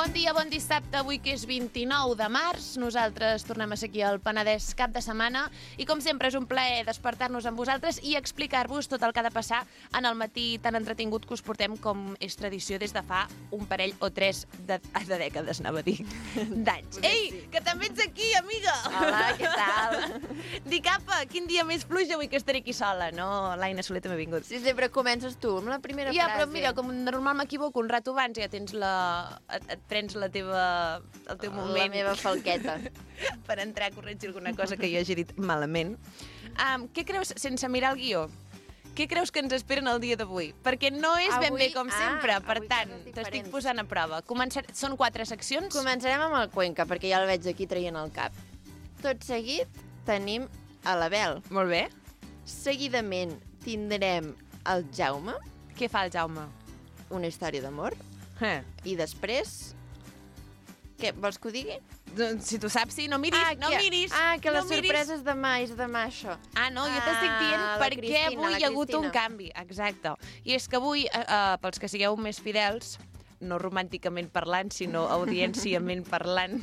Bon dia, bon dissabte, avui que és 29 de març. Nosaltres tornem a ser aquí al Penedès cap de setmana i com sempre és un plaer despertar-nos amb vosaltres i explicar-vos tot el que ha de passar en el matí tan entretingut que us portem com és tradició des de fa un parell o tres de dècades, anava a dir, d'anys. Ei, que també ets aquí, amiga! Hola, què tal? Dic, apa, quin dia més pluja avui que estaré aquí sola, no? L'Aina Soler també ha vingut. Sí, sempre comences tu amb la primera frase. Ja, però mira, com normal m'equivoco un rato abans, ja tens et prens el teu moment. La meva falqueta. Per entrar a corregir alguna cosa que jo hagi dit malament. Què creus, sense mirar el guió, què creus que ens esperen el dia d'avui? Perquè no és ben bé com sempre, per tant, t'estic posant a prova. Són 4 seccions? Començarem amb el Cuenca, perquè ja el veig aquí traient el cap. Tot seguit tenim a l'Abel. Molt bé. Seguidament tindrem el Jaume. Què fa el Jaume? Una història d'amor. I després... Què, vols que ho digui? Doncs, si tu saps, sí, no miris, no miris. Que les sorpreses demà, és demà això. No, jo t'estic dient perquè avui hi ha hagut un canvi. Exacte. I és que avui, pels que sigueu més fidels, no romànticament parlant, sinó audienciament parlant,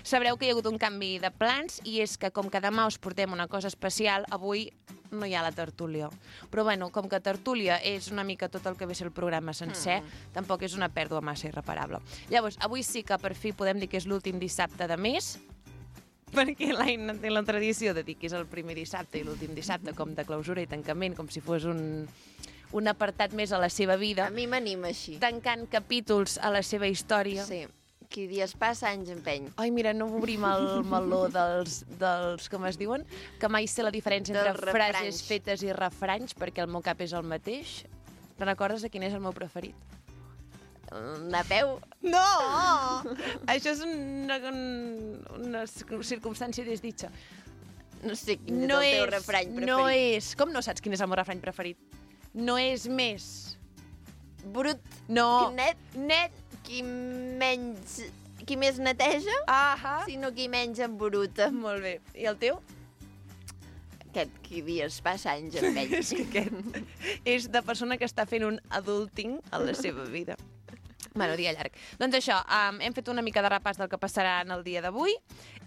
sabreu que hi ha hagut un canvi de plans i és que com que demà us portem una cosa especial, avui no hi ha la tertúlia. Però bueno, com que tertúlia és una mica tot el que ve ser el programa sencer, tampoc és una pèrdua massa irreparable. Llavors, avui sí que per fi podem dir que és l'últim dissabte de mes, perquè l'Aina té la tradició de dir que és el primer dissabte i l'últim dissabte com de clausura i tancament, com si fos un apartat més a la seva vida. A mi m'anima així. Tancant capítols a la seva història. Sí. Qui dies passa, anys empeny. Ai, mira, no obrim el meló dels com es diuen, que mai sé la diferència entre frases fetes i refranys, perquè el meu cap és el mateix. Te'n recordes de quin és el meu preferit? Napeu? No! Això és una circumstància desditja. No sé quin és el teu refrany preferit. No és... Com no saps quin és el meu refrany preferit? No és més... Brut. No. Net. Qui més neteja, sinó qui menys embruta. Molt bé. I el teu? Aquest, qui dies passa anys empeny. És que aquest és de persona que està fent un adulting a la seva vida. Bueno, dia llarg. Doncs això, hem fet una mica de repàs del que passarà en el dia d'avui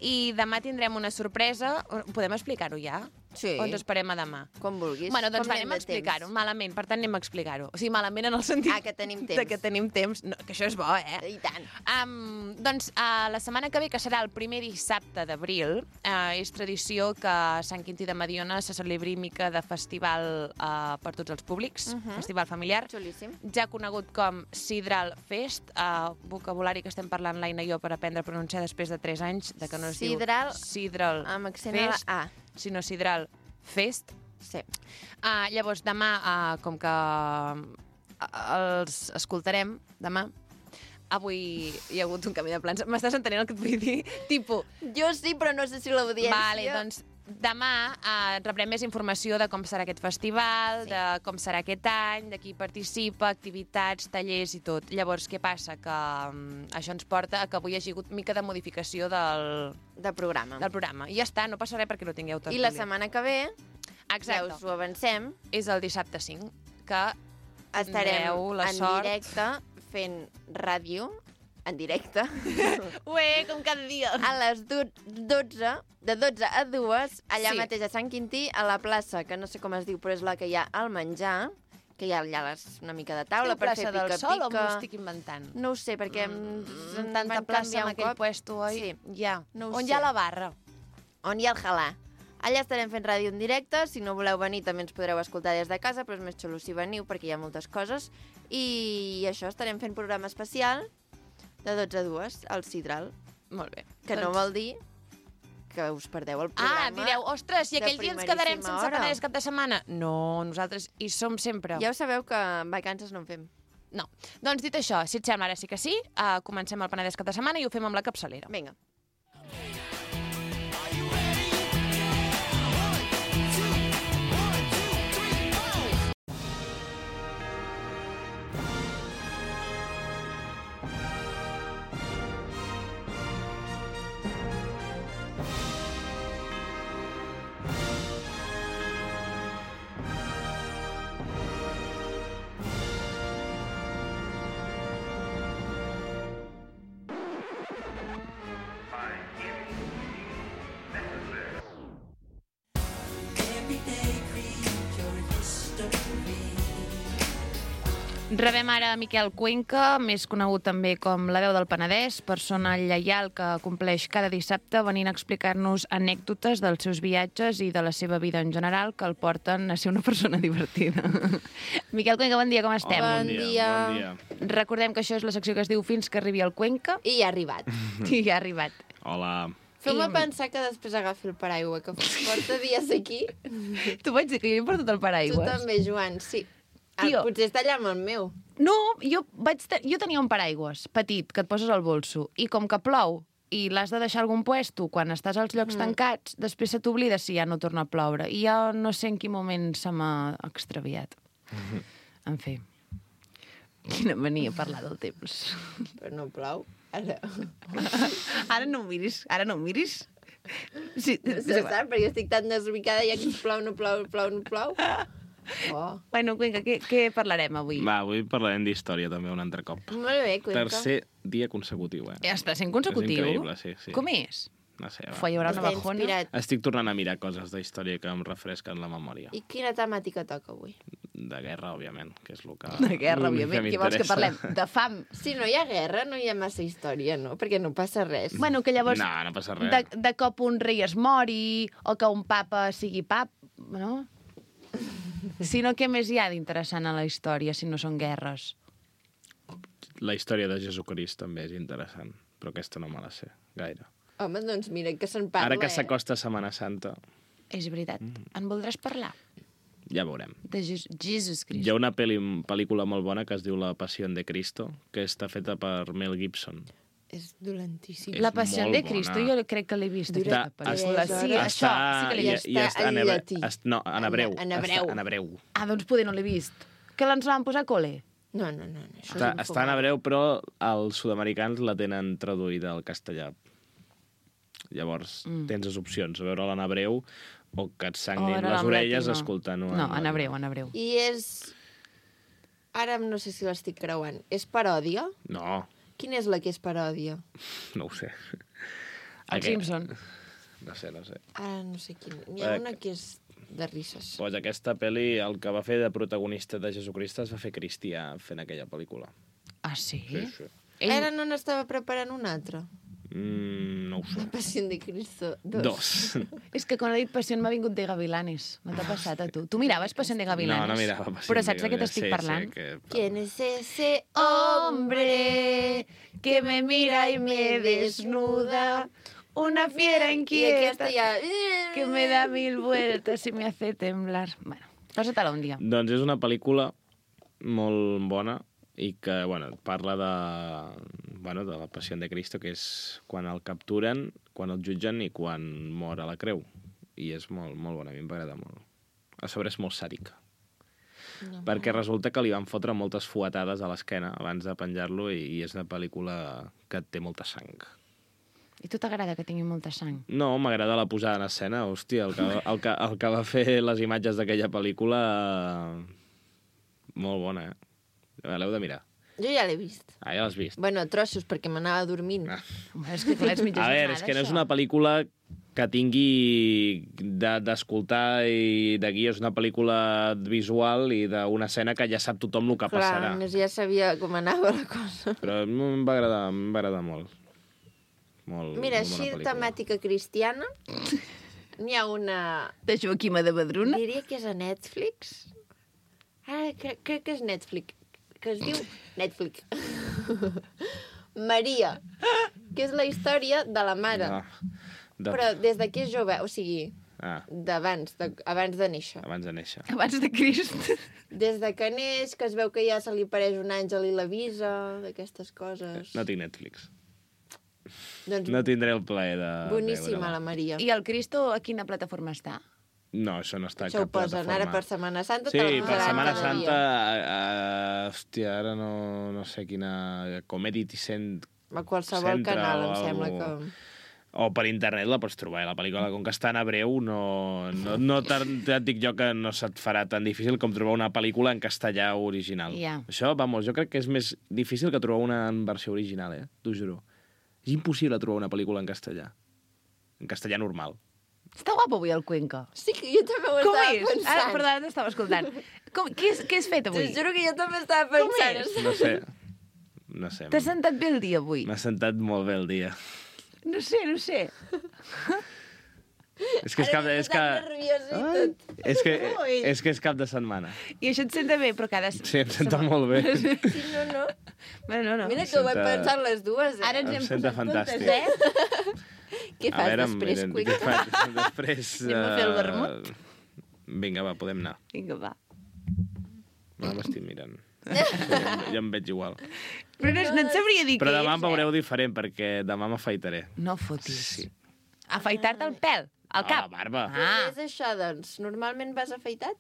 i demà tindrem una sorpresa. Podem explicar-ho ja? Sí. O ens esperem a demà? Com vulguis. Bueno, doncs anem a explicar-ho, malament, per tant anem a explicar-ho. O sigui, malament en el sentit... que tenim temps. De que tenim temps. No, que això és bo, I tant. Doncs la setmana que ve, que serà el primer dissabte d'abril, és tradició que a Sant Quintí de Mediona se celebri mica de festival per tots els públics, festival familiar. Xulíssim. Ja conegut com Sidral Fest, vocabulari que estem parlant l'Aina i jo per aprendre a pronunciar després de 3 anys, de que no es diu Sidral amb accent Fest, a la A. sinó Sidral Fest. Sí. Llavors, demà, com que els escoltarem, demà, avui hi ha hagut un canvi de plans. M'estàs entenent el que et vull dir? Tipo... Jo sí, però no sé si l'audiència... Vale, doncs demà rebrem més informació de com serà aquest festival, de com serà aquest any, de qui participa, activitats, tallers i tot. Llavors, què passa? Que això ens porta a que avui hi hagi hagut mica de modificació del programa. I ja està, no passa res perquè no tingueu tertúlia. I la setmana que ve, ja us ho avancem, és el dissabte 5, que estarem la en sort. directe fent ràdio, en directe, Ué, com cada dia. a les 12, de 12 a 2, allà Sí. mateix a Sant Quintí, a la plaça, que no sé com es diu, però és la que hi ha al menjar, que hi ha allà una mica de taula per fer Plaça del pica-pica. Sol o m'ho estic inventant? No ho sé, perquè Tanta plaça en aquell puesto, oi? Sí. Ja. No ho On sé. hi ha la barra? On hi ha el halà. Allà estarem fent ràdio en directe, si no voleu venir també ens podreu escoltar des de casa, però és més xulo si veniu perquè hi ha moltes coses. I això, estarem fent programa especial de 12 a 2 al Sidral. Molt bé. Que no vol dir que us perdeu el programa. Direu, ostres, i aquell dia ens quedarem primeríssima sense hora. Penedès cap de setmana? No, nosaltres hi som sempre. Ja ho sabeu que vacances no en fem. No. Doncs dit això, si et sembla, ara sí que sí, comencem el Penedès cap de setmana i ho fem amb la capçalera. Vinga. Rebem ara Miquel Cuenca, més conegut també com la veu del Penedès, persona lleial que compleix cada dissabte venint a explicar-nos anècdotes dels seus viatges i de la seva vida en general que el porten a ser una persona divertida. Miquel Cuenca, bon dia, com estem? Bon dia. Bon dia. Recordem que això és la secció que es diu Fins que arribi el Cuenca. I ja ha arribat. I ja ha arribat. Hola. Feu-me pensar que després agafi el paraigua, que porta dies aquí. Tu vaig dir que jo he portat el Tu paraigües. també, Joan, sí. Tio. Potser està allà amb el meu. No, jo tenia un paraigües petit que et poses al bolso i com que plou i l'has de deixar a algun puesto quan estàs als llocs tancats, després se t'oblida si ja no torna a ploure. I jo no sé en quin moment se m'ha extraviat. En fi, quina mania parlar del temps. Però no plou. Ara. Ara no em miris, ara no em miris. Sí, No sé, saps? Perquè estic tan desubicada ja que plou, no plou. Oh. Bueno, Cuenca, què parlarem avui? Va, avui parlarem d'història també un altre cop. Molt bé, Cuenca. Tercer dia consecutiu, eh? Està sent consecutiu? És increïble, sí. Com és? No sé, va. Fa, hi haurà una Està bajona? inspirat. Estic tornant a mirar coses d'història que em refresquen la memòria. I quina temàtica toca avui? De guerra, òbviament, que és el que... De guerra, òbviament. Què vols que parlem? De fam. Si no hi ha guerra, no hi ha massa història, no? Perquè no passa res. Bueno, que llavors... No passa res. De cop un rei es mori, o que un papa sigui pap, no? Si no, què més hi ha d'interessant a la història, si no són guerres? La història de Jesucrist també és interessant, però aquesta no me la sé gaire. Home, doncs mira, que se'n parla, Ara que s'acosta Setmana Santa, És veritat. En voldràs parlar? ja veurem. De Jesus Christ. Hi ha una pel·lícula molt bona que es diu La Pasión de Cristo, que està feta per Mel Gibson. És dolentíssim. És La Passió molt de bona. Cristo, jo crec que l'he vist, Dura aquesta pel·lícula. tres Sí, hores. això, sí que l'he I vist. està en llatí. No, en hebreu. En hebreu. Està en hebreu. Ah, doncs poder no l'he vist. Que l'ens van posar a col·le? No, això Està en hebreu, però els sud-americans la tenen traduïda al castellà. Llavors, tens les opcions, veure-la en hebreu o que et sangrin veure-la les en orelles llatí, no. escoltant-ho. No, en hebreu. I és... Ara no sé si l'estic creuant. És paròdia? No, Quina és la que és paròdia? no ho sé. El Simpson. No sé. Ara no sé quina. N'hi ha una que és de risses. Pues aquesta pel·li, el que va fer de protagonista de Jesucrist es va fer cristià fent aquella pel·lícula. Ah, sí? Sí. Ara no n'estava preparant una altra. No ho sé. La Passió de Cristo 2. 2. És que quan he dit Passió m'ha vingut de Gavilanes. No t'ha passat a tu? Tu miraves Passió de Gavilanes? No mirava Passió Però de saps de què Gavilanes. t'estic parlant? ¿Quién es ese Hombre que me mira y me desnuda, una fiera I aquesta inquieta ja... que me da 1000 vueltas y me hace temblar. Bueno, posa-te-la un dia. Doncs és una pel·lícula molt bona i que, bueno, parla de la Passió de Cristo, que és quan el capturen, quan el jutgen i quan mor a la creu. I és molt bona, a mi m'agrada molt. A sobre és molt sàdica. No, Perquè resulta que li van fotre moltes fuetades a l'esquena abans de penjar-lo i és una pel·lícula que té molta sang. I tu t'agrada que tingui molta sang? No, m'agrada la posada en escena. Hòstia, el que va fer les imatges d'aquella pel·lícula... Molt bona, l'heu de mirar. Jo ja l'he vist. Ah, ja l'has vist. Bueno, trossos, perquè m'anava dormint. Ah. Home, és que clar, és mitja A veure, jornada, és que no és això. una pel·lícula que tingui d'escoltar i de guia. És una pel·lícula visual i d'una escena que ja sap tothom el que Clar, passarà. a més ja sabia com anava la cosa. Però em va agradar molt. Molt Mira, molt bona així pel·lícula. temàtica cristiana, n'hi ha una... De Joaquima de Badruna? Diria que és a Netflix. Ah, crec que és Netflix. Que es diu Netflix. Maria, que és la història de la mare. Però des de que és jove, o sigui, abans de néixer. Abans de néixer. Abans de Crist. Des de que neix, que es veu que ja se li apareix un àngel i l'avisa, d'aquestes coses. No tinc Netflix. Doncs No tindré el plaer de boníssima, veure-la. la Maria. I el Cristo a quina plataforma està? No, això no està a Això ho cap posen plataforma. ara per Setmana Santa. Sí, te la per posaran Setmana cada Santa... dia. Hòstia, ara no sé quina... Comedy Central... A qualsevol canal, em sembla que... O per internet la pots trobar. La pel·lícula, com que està en hebreu, no et dic jo que no se't farà tan difícil com trobar una pel·lícula en castellà original. Ja. Això, vamos, jo crec que és més difícil que trobar una en versió original, t'ho juro. És impossible trobar una pel·lícula en castellà. En castellà normal. Està guapo avui el Cuenca. Sí, que jo també ho Com estava és? pensant. Perdona, t'estava escoltant. Què has fet T'ho avui? juro que jo també estava pensant. és? No sé. T'has sentat bé el dia avui? M'ha sentat molt bé el dia. No sé. És que és cap de... És que és cap de setmana. I això et senta bé, però cada... Sí, em senta molt bé. Sí, no. Bueno, no. Mira que ho vam pensar les dues, Ara ens Em hem senta posat juntes, fantàstic. Què fas després, què Cuica? faig després? Anem a fer el vermut? Vinga, va, podem anar. Vinga, va. No m'estic mirant. Jo em veig igual. Però no et sabria dir Però què demà és, em veureu diferent, perquè demà m'afaitaré. No fotis. Sí. Afaitar-te el pèl, el cap. La barba. Què és això, doncs? Normalment vas afaitat?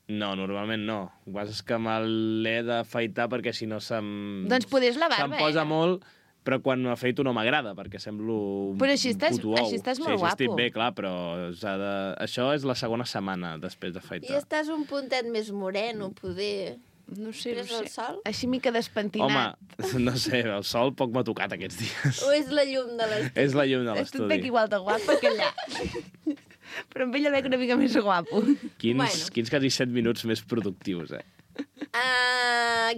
No, normalment no. El que passa és que me l'he d'afaitar perquè si no Doncs poder és la barba, se'm posa molt, però quan m'afeito no m'agrada, perquè semblo un Però així estàs- puto ou. així estàs molt sí, guapo. estic bé, clar, però això és la segona setmana després I d'afaitar. estàs un puntet més moreno, poder... No sé, Pres el sol? Així mica despentinat. Home, no sé, el sol poc m'ha tocat aquests dies. O és la llum de l'estudi? És la llum de Tu et l'estudi. veig igual de guapa que allà. Però amb ell el veig una mica més guapo. Quins quasi 7 minuts més productius,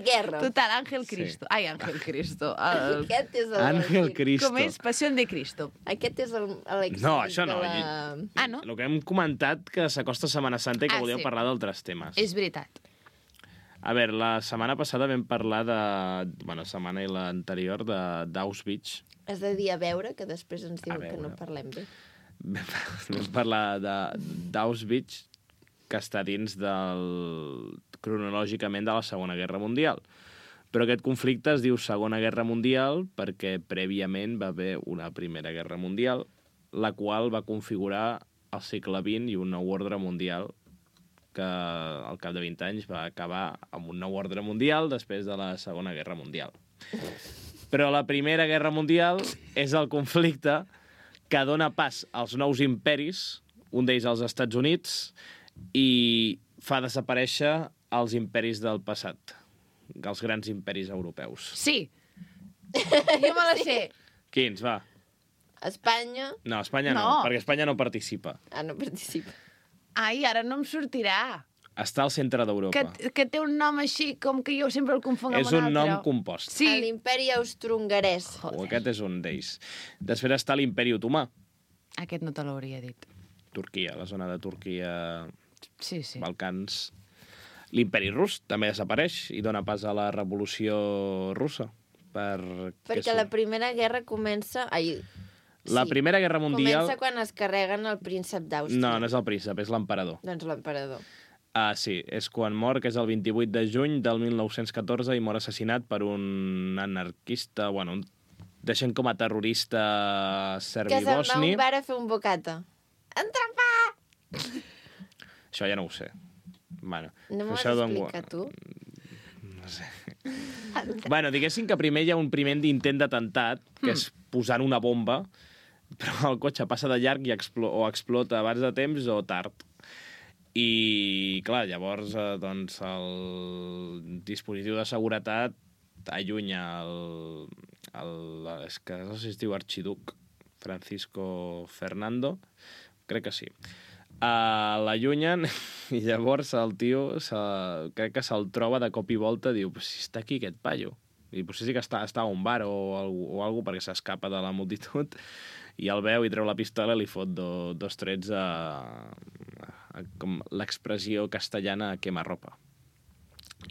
Guerra. Total, Ángel Sí. Cristo. Ai, Ángel Cristo. Aquest és el... Ángel Cristo. Com és? Passió de Cristo. Aquest és l'èxit No, això no. de la... Ah, no? El que hem comentat que s'acosta Setmana Santa i que Ah, volíem sí. parlar d'altres temes. És veritat. A veure, la setmana passada vam parlar de... Bueno, la setmana i l'anterior d'Auschwitz. Has de dir a veure, que després ens A diuen que veure. no parlem bé. Vam parlar d'Auschwitz, que està dins cronològicament de la Segona Guerra Mundial. Però aquest conflicte es diu Segona Guerra Mundial perquè prèviament va haver una Primera Guerra Mundial, la qual va configurar el segle XX i un nou ordre mundial que al cap de 20 anys va acabar amb un nou ordre mundial després de la Segona Guerra Mundial. Però la Primera Guerra Mundial és el conflicte que dona pas als nous imperis, un d'ells als Estats Units, i fa desaparèixer els imperis del passat, els grans imperis europeus. Sí. Jo me la sé. Quins, va? Espanya... No, Espanya no, No. perquè Espanya no participa. Ah, no participa. Ai, ara no em sortirà. Està al centre d'Europa. Que té un nom així, com que jo sempre el confonc amb És un un altre. nom compost. Sí. L'Imperi Austrohongarès. O aquest és un d'ells. Després està l'Imperi Otomà, Aquest no te l'hauria dit. Turquia, la zona de Turquia, Sí. Balcans. L'Imperi Rus també desapareix i dona pas a la Revolució Russa. Perquè la Primera Guerra comença... Ai, La Primera Guerra Mundial... Comença quan es carreguen el príncep d'Àustria. No, no és el príncep, és l'emperador. Doncs l'emperador. Ah, sí, és quan mor, que és el 28 de juny del 1914 i mor assassinat per un anarquista, bueno, deixen com a terrorista Que se'n va serbi-bosni. un bar a fer un bocata. Entrapà! Això ja no ho sé. Bueno, No m'ho has això d'on- explicat, tu? No sé. Bueno, diguéssim que primer hi ha un primer intent d'atemptat, que és posant una bomba, però el cotxe passa de llarg i o explota abans de temps o tard. I, clar, llavors, doncs, el dispositiu de seguretat allunya és que no sé si es diu arxiduc, Francisco Fernando, crec que sí. L'allunyen i llavors el tio crec que se'l troba de cop i volta, diu, pues si està aquí aquest paio. I potser sí que està a un bar o alguna perquè s'escapa de la multitud i el veu i treu la pistola i li fot dos trets com l'expressió castellana quema-ropa.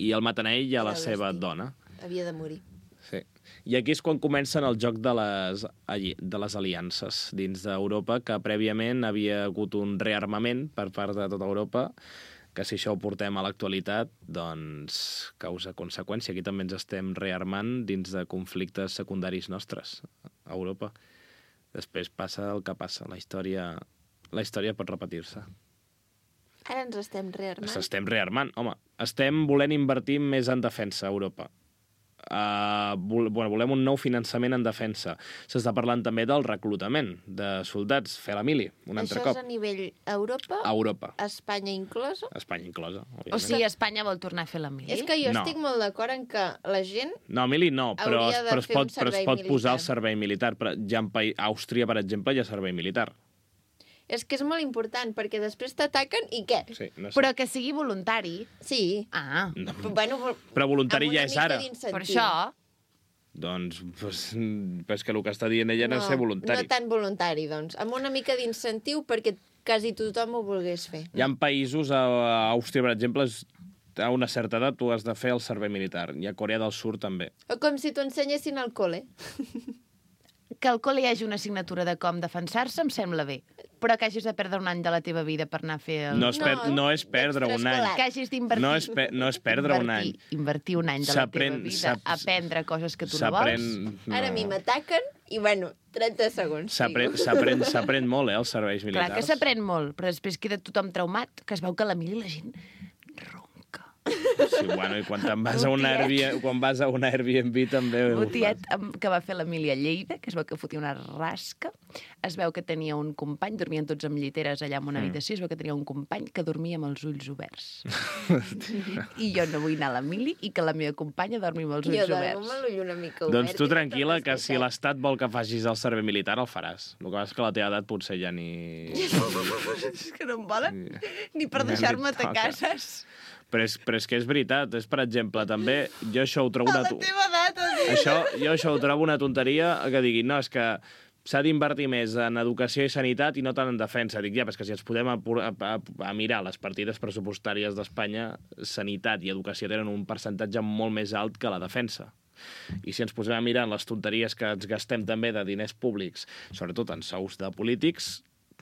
I el maten a ell i a la Era el seva destí. dona. Havia de morir. Sí. I aquí és quan comencen el joc de les aliances dins d'Europa, que prèviament havia hagut un rearmament per part de tota Europa, que si això ho portem a l'actualitat, doncs causa conseqüència. Aquí també ens estem rearmant dins de conflictes secundaris nostres a Europa. Després passa el que passa. La història pot repetir-se. Ara ens estem rearmant. S'estem rearmant. Home, estem volent invertir més en defensa a Europa. Volem un nou finançament en defensa. S'està parlant també del reclutament de soldats, fer la mili, un altre Això cop. és a nivell Europa? A Europa. Espanya inclosa? Espanya inclosa, òbviament. O sigui, Espanya vol tornar a fer la mili? És que jo No. estic molt d'acord en que la gent... No, mili no, però Hauria de es fer un pot servei posar el militar. servei militar. Ja a Àustria, per exemple, hi ha servei militar. És que és molt important, perquè després t'ataquen i què? Sí, no sé. Però que sigui voluntari. Sí. Ah, No. Bueno, Però voluntari amb una ja és mica ara. d'incentiu. per això... Doncs, és que el que està dient ella no és ser voluntari. No tan voluntari, doncs. Amb una mica d'incentiu perquè quasi tothom ho volgués fer. Hi ha països, a Àustria, per exemple, a una certa edat tu has de fer el servei militar. I a Corea del Sur també. O com si t'ho ensenyessin al col·le. Que al col·le hi hagi una assignatura de com defensar-se em sembla bé. Però que hagis de perdre un any de la teva vida per anar a fer el... No és perdre un any. d'extraescolar. Que hagis d'invertir... No és perdre un any. Invertir un any de la teva vida a aprendre coses que tu no vols. Ara a mi m'ataquen i, bueno, 30 segons. S'aprèn molt, els serveis militars. Clar que s'aprèn molt, però després queda tothom traumat, que es veu que a la mili la gent ronca. Sí, bueno, i quan vas a una Airbnb també... Un tiet que va fer l'Emília a Lleida, que es veu que fotia una rasca, es veu que tenia un company, dormien tots amb lliteres allà en una habitació, es veu que tenia un company que dormia amb els ulls oberts. I jo no vull anar a l'Emili i que la meva companya dormi amb els ulls Jo dormo oberts. amb l'ull una mica obert. Doncs tu tranquil·la, que si l'Estat vol que facis el servei militar, el faràs. El que passa és que a la teva edat potser ja ni... És que no em volen ni per Ja deixar-me li toca. atacar, saps? Però és que és veritat. És, per exemple, també... Jo això ho trobo A la teva edat, Jo això ho trobo una tonteria que diguin, no, és que s'ha d'invertir més en educació i sanitat i no tant en defensa. Dic, ja, però és que si ens podem a mirar les partides pressupostàries d'Espanya, sanitat i educació tenen un percentatge molt més alt que la defensa. I si ens posem a mirar en les tonteries que ens gastem també de diners públics, sobretot en sous de polítics,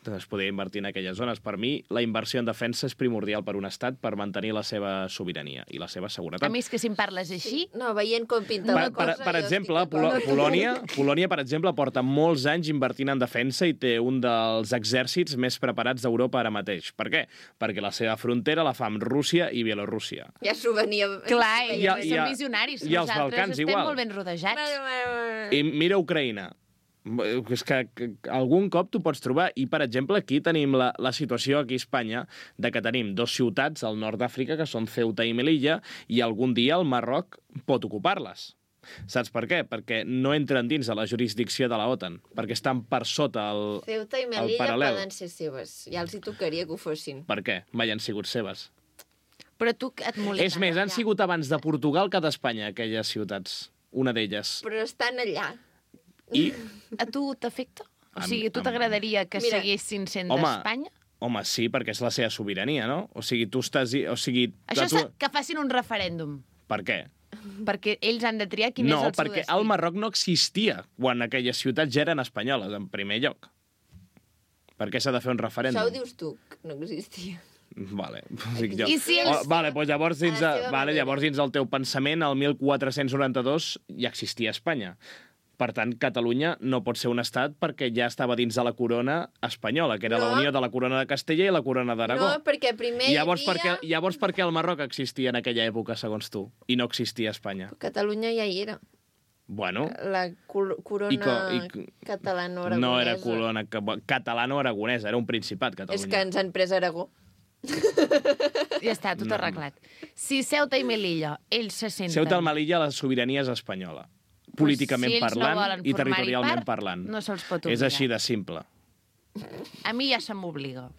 es podria invertir en aquelles zones. Per mi, la inversió en defensa és primordial per un estat per mantenir la seva sobirania i la seva seguretat. A mi és que si em parles així... No, veient com pinta la cosa... Per exemple, Polònia, per exemple, porta molts anys invertint en defensa i té un dels exèrcits més preparats d'Europa ara mateix. Per què? Perquè la seva frontera la fa amb Rússia i Bielorússia. Ja s'ho venia... Clar, I som visionaris. i els Nosaltres Balcans estem igual. molt ben rodejats. I mira Ucraïna. És que algun cop t'ho pots trobar. I, per exemple, aquí tenim la situació aquí a Espanya de que tenim dos ciutats al nord d'Àfrica que són Ceuta i Melilla i algun dia el Marroc pot ocupar-les. Saps per què? Perquè no entren dins de la jurisdicció de la OTAN, perquè estan per sota el Ceuta i Melilla paral·lel. poden ser seves. Ja els hi tocaria que ho fossin. Per què? Mai han sigut seves. Però tu et molesta. És més, han sigut abans de Portugal que d'Espanya, aquelles ciutats. Una d'elles. Però estan allà. I, A tu t'afecta? O sigui, a tu t'agradaria que Mira, seguissin sent home, d'Espanya? home, sí, perquè és la seva sobirania, no? O sigui, tu estàs... O sigui, Això tu... que facin un referèndum, Per què? perquè ells han de triar quin és No, el seu perquè destí. el Marroc no existia quan aquelles ciutats ja eren espanyoles, en primer lloc. Per què s'ha de fer un referèndum? Això ho dius tu, que no existia. Vale, dic jo. I si ells- Vale, doncs llavors dins, A la seva manera. llavors dins el teu pensament, el 1492 ja existia Espanya. Per tant, Catalunya no pot ser un estat perquè ja estava dins de la corona espanyola, que era No. la unió de la corona de Castella i la corona d'Aragó. No, perquè primer Llavors, hi havia... llavors per què el Marroc existia en aquella època, segons tu, i no existia Espanya? Catalunya ja hi era. Bueno, La corona catalano-aragonesa. no era corona catalano-aragonesa, era un principat, Catalunya. És que ens han pres Aragó. Ja està, tot arreglat. Si Ceuta i Melilla, ells se senten... Ceuta i Melilla, la sobirania és espanyola. Políticament si ells no parlant volen i formar-hi territorialment part, parlant. no se'ls pot És obligar. així de simple. A mi ja se m'obliga.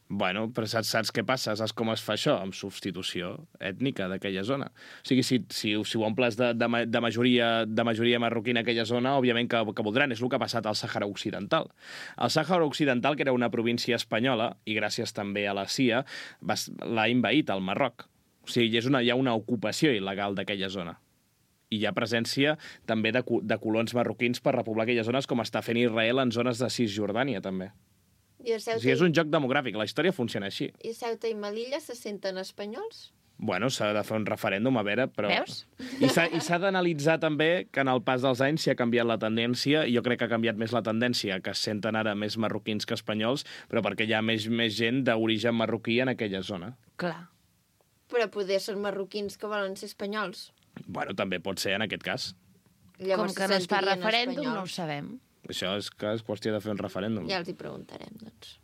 Bueno, però saps què passa? Saps com es fa això? Amb substitució ètnica d'aquella zona. O sigui, si ho omples de majoria marroquina a aquella zona, òbviament que voldran. És el que ha passat al Sàhara Occidental. El Sàhara Occidental, que era una província espanyola, i gràcies també a la CIA, l'ha envaït al Marroc. O sigui, hi ha una ocupació il·legal d'aquella zona. I hi ha presència també de colons marroquins per repoblar aquelles zones, com està fent Israel en zones de Cisjordània, també. I a O Ceuta, sigui, és un joc demogràfic, la història funciona així. i Ceuta i Melilla se senten espanyols? Bueno, s'ha de fer un referèndum, a veure, però... Veus? I s'ha d'analitzar també que en el pas dels anys s'hi ha canviat la tendència, i jo crec que ha canviat més la tendència, que es senten ara més marroquins que espanyols, però perquè hi ha més gent d'origen marroquí en aquella zona. Clar. Però poder són marroquins que volen ser espanyols. Bueno, també pot ser en aquest cas. Com que no es fa sentirien referèndum, no ho espanyols. sabem. Això és qüestió de fer un referèndum. Ja els hi preguntarem, doncs.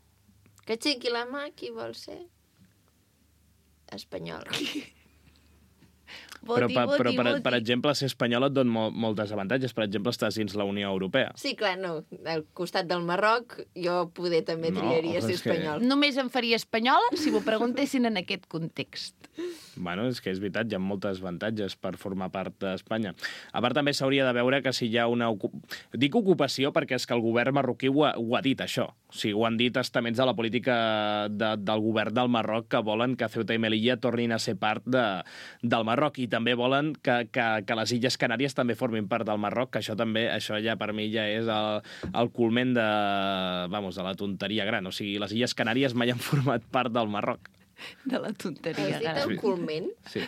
Que aixequi la mà qui vol ser espanyol. Però, per exemple, ser espanyol et dona moltes avantatges. Per exemple, estàs dins la Unió Europea. Sí, clar, no. Al costat del Marroc, jo poder també triaria ser espanyol. Només em faria espanyola si m'ho preguntessin en aquest context. Bueno, és que és veritat, hi ha moltes avantatges per formar part d'Espanya. A part, també s'hauria de veure que si hi ha una... Dic ocupació perquè és que el govern marroquí ho ha dit, això. O sigui, ho han dit estaments de la política del govern del Marroc que volen que Ceuta i Melilla tornin a ser part del Marroc i també volen que les Illes Canàries també formin part del Marroc, que això ja per mi ja és el culment de la tonteria gran. O sigui, les Illes Canàries mai han format part del Marroc. De la tonteria gran. Has dit el culment? Sí.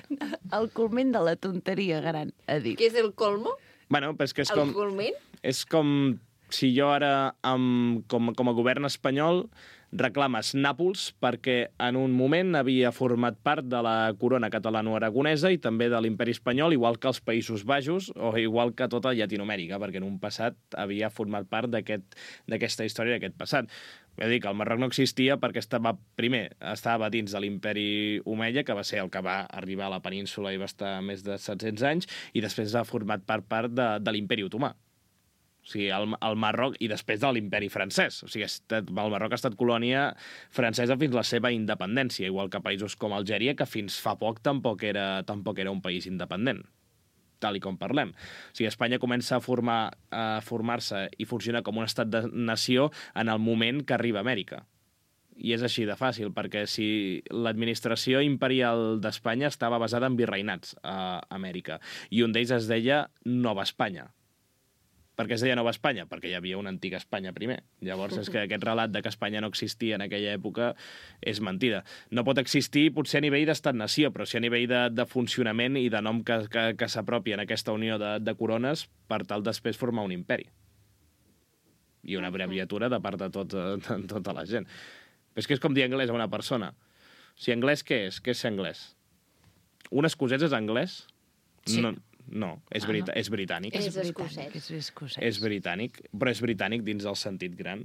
El culment de la tonteria gran, ha dit. Què és el colmo? Bueno, però és que és com... El culment? És com si jo ara, com a govern espanyol, reclames Nàpols perquè en un moment havia format part de la corona catalano-aragonesa i també de l'imperi espanyol, igual que els Països Baixos o igual que tota Llatinoamèrica, perquè en un passat havia format part d'aquesta història, d'aquest passat. Vull dir que el Marroc no existia perquè estava dins de l'imperi omeia, que va ser el que va arribar a la península i va estar més de 700 anys, i després ha format part de l'imperi otomà. O sigui, el Marroc, i després de l'imperi francès. O sigui, el Marroc ha estat colònia francesa fins a la seva independència, igual que països com Algèria, que fins fa poc tampoc era un país independent, tal i com parlem. O sigui, Espanya comença a formar-se i funcionar com un estat de nació en el moment que arriba a Amèrica. I és així de fàcil, perquè si l'administració imperial d'Espanya estava basada en virreinats a Amèrica, i un d'ells es deia Nova Espanya. Per què es deia Nova Espanya? Perquè hi havia una antiga Espanya primer. Llavors, és que aquest relat de que Espanya no existia en aquella època és mentida. No pot existir potser a nivell d'estat-nació, però sí a nivell de funcionament i de nom que s'apropi en aquesta unió de corones per tal després formar un imperi. I una abreviatura de part de tota la gent. Però és que és com dir anglès a una persona. O sigui, anglès què és? Què és ser anglès? Un escocès és anglès? Sí. No, és britànic. És escocès. És britànic, però és britànic dins el sentit gran.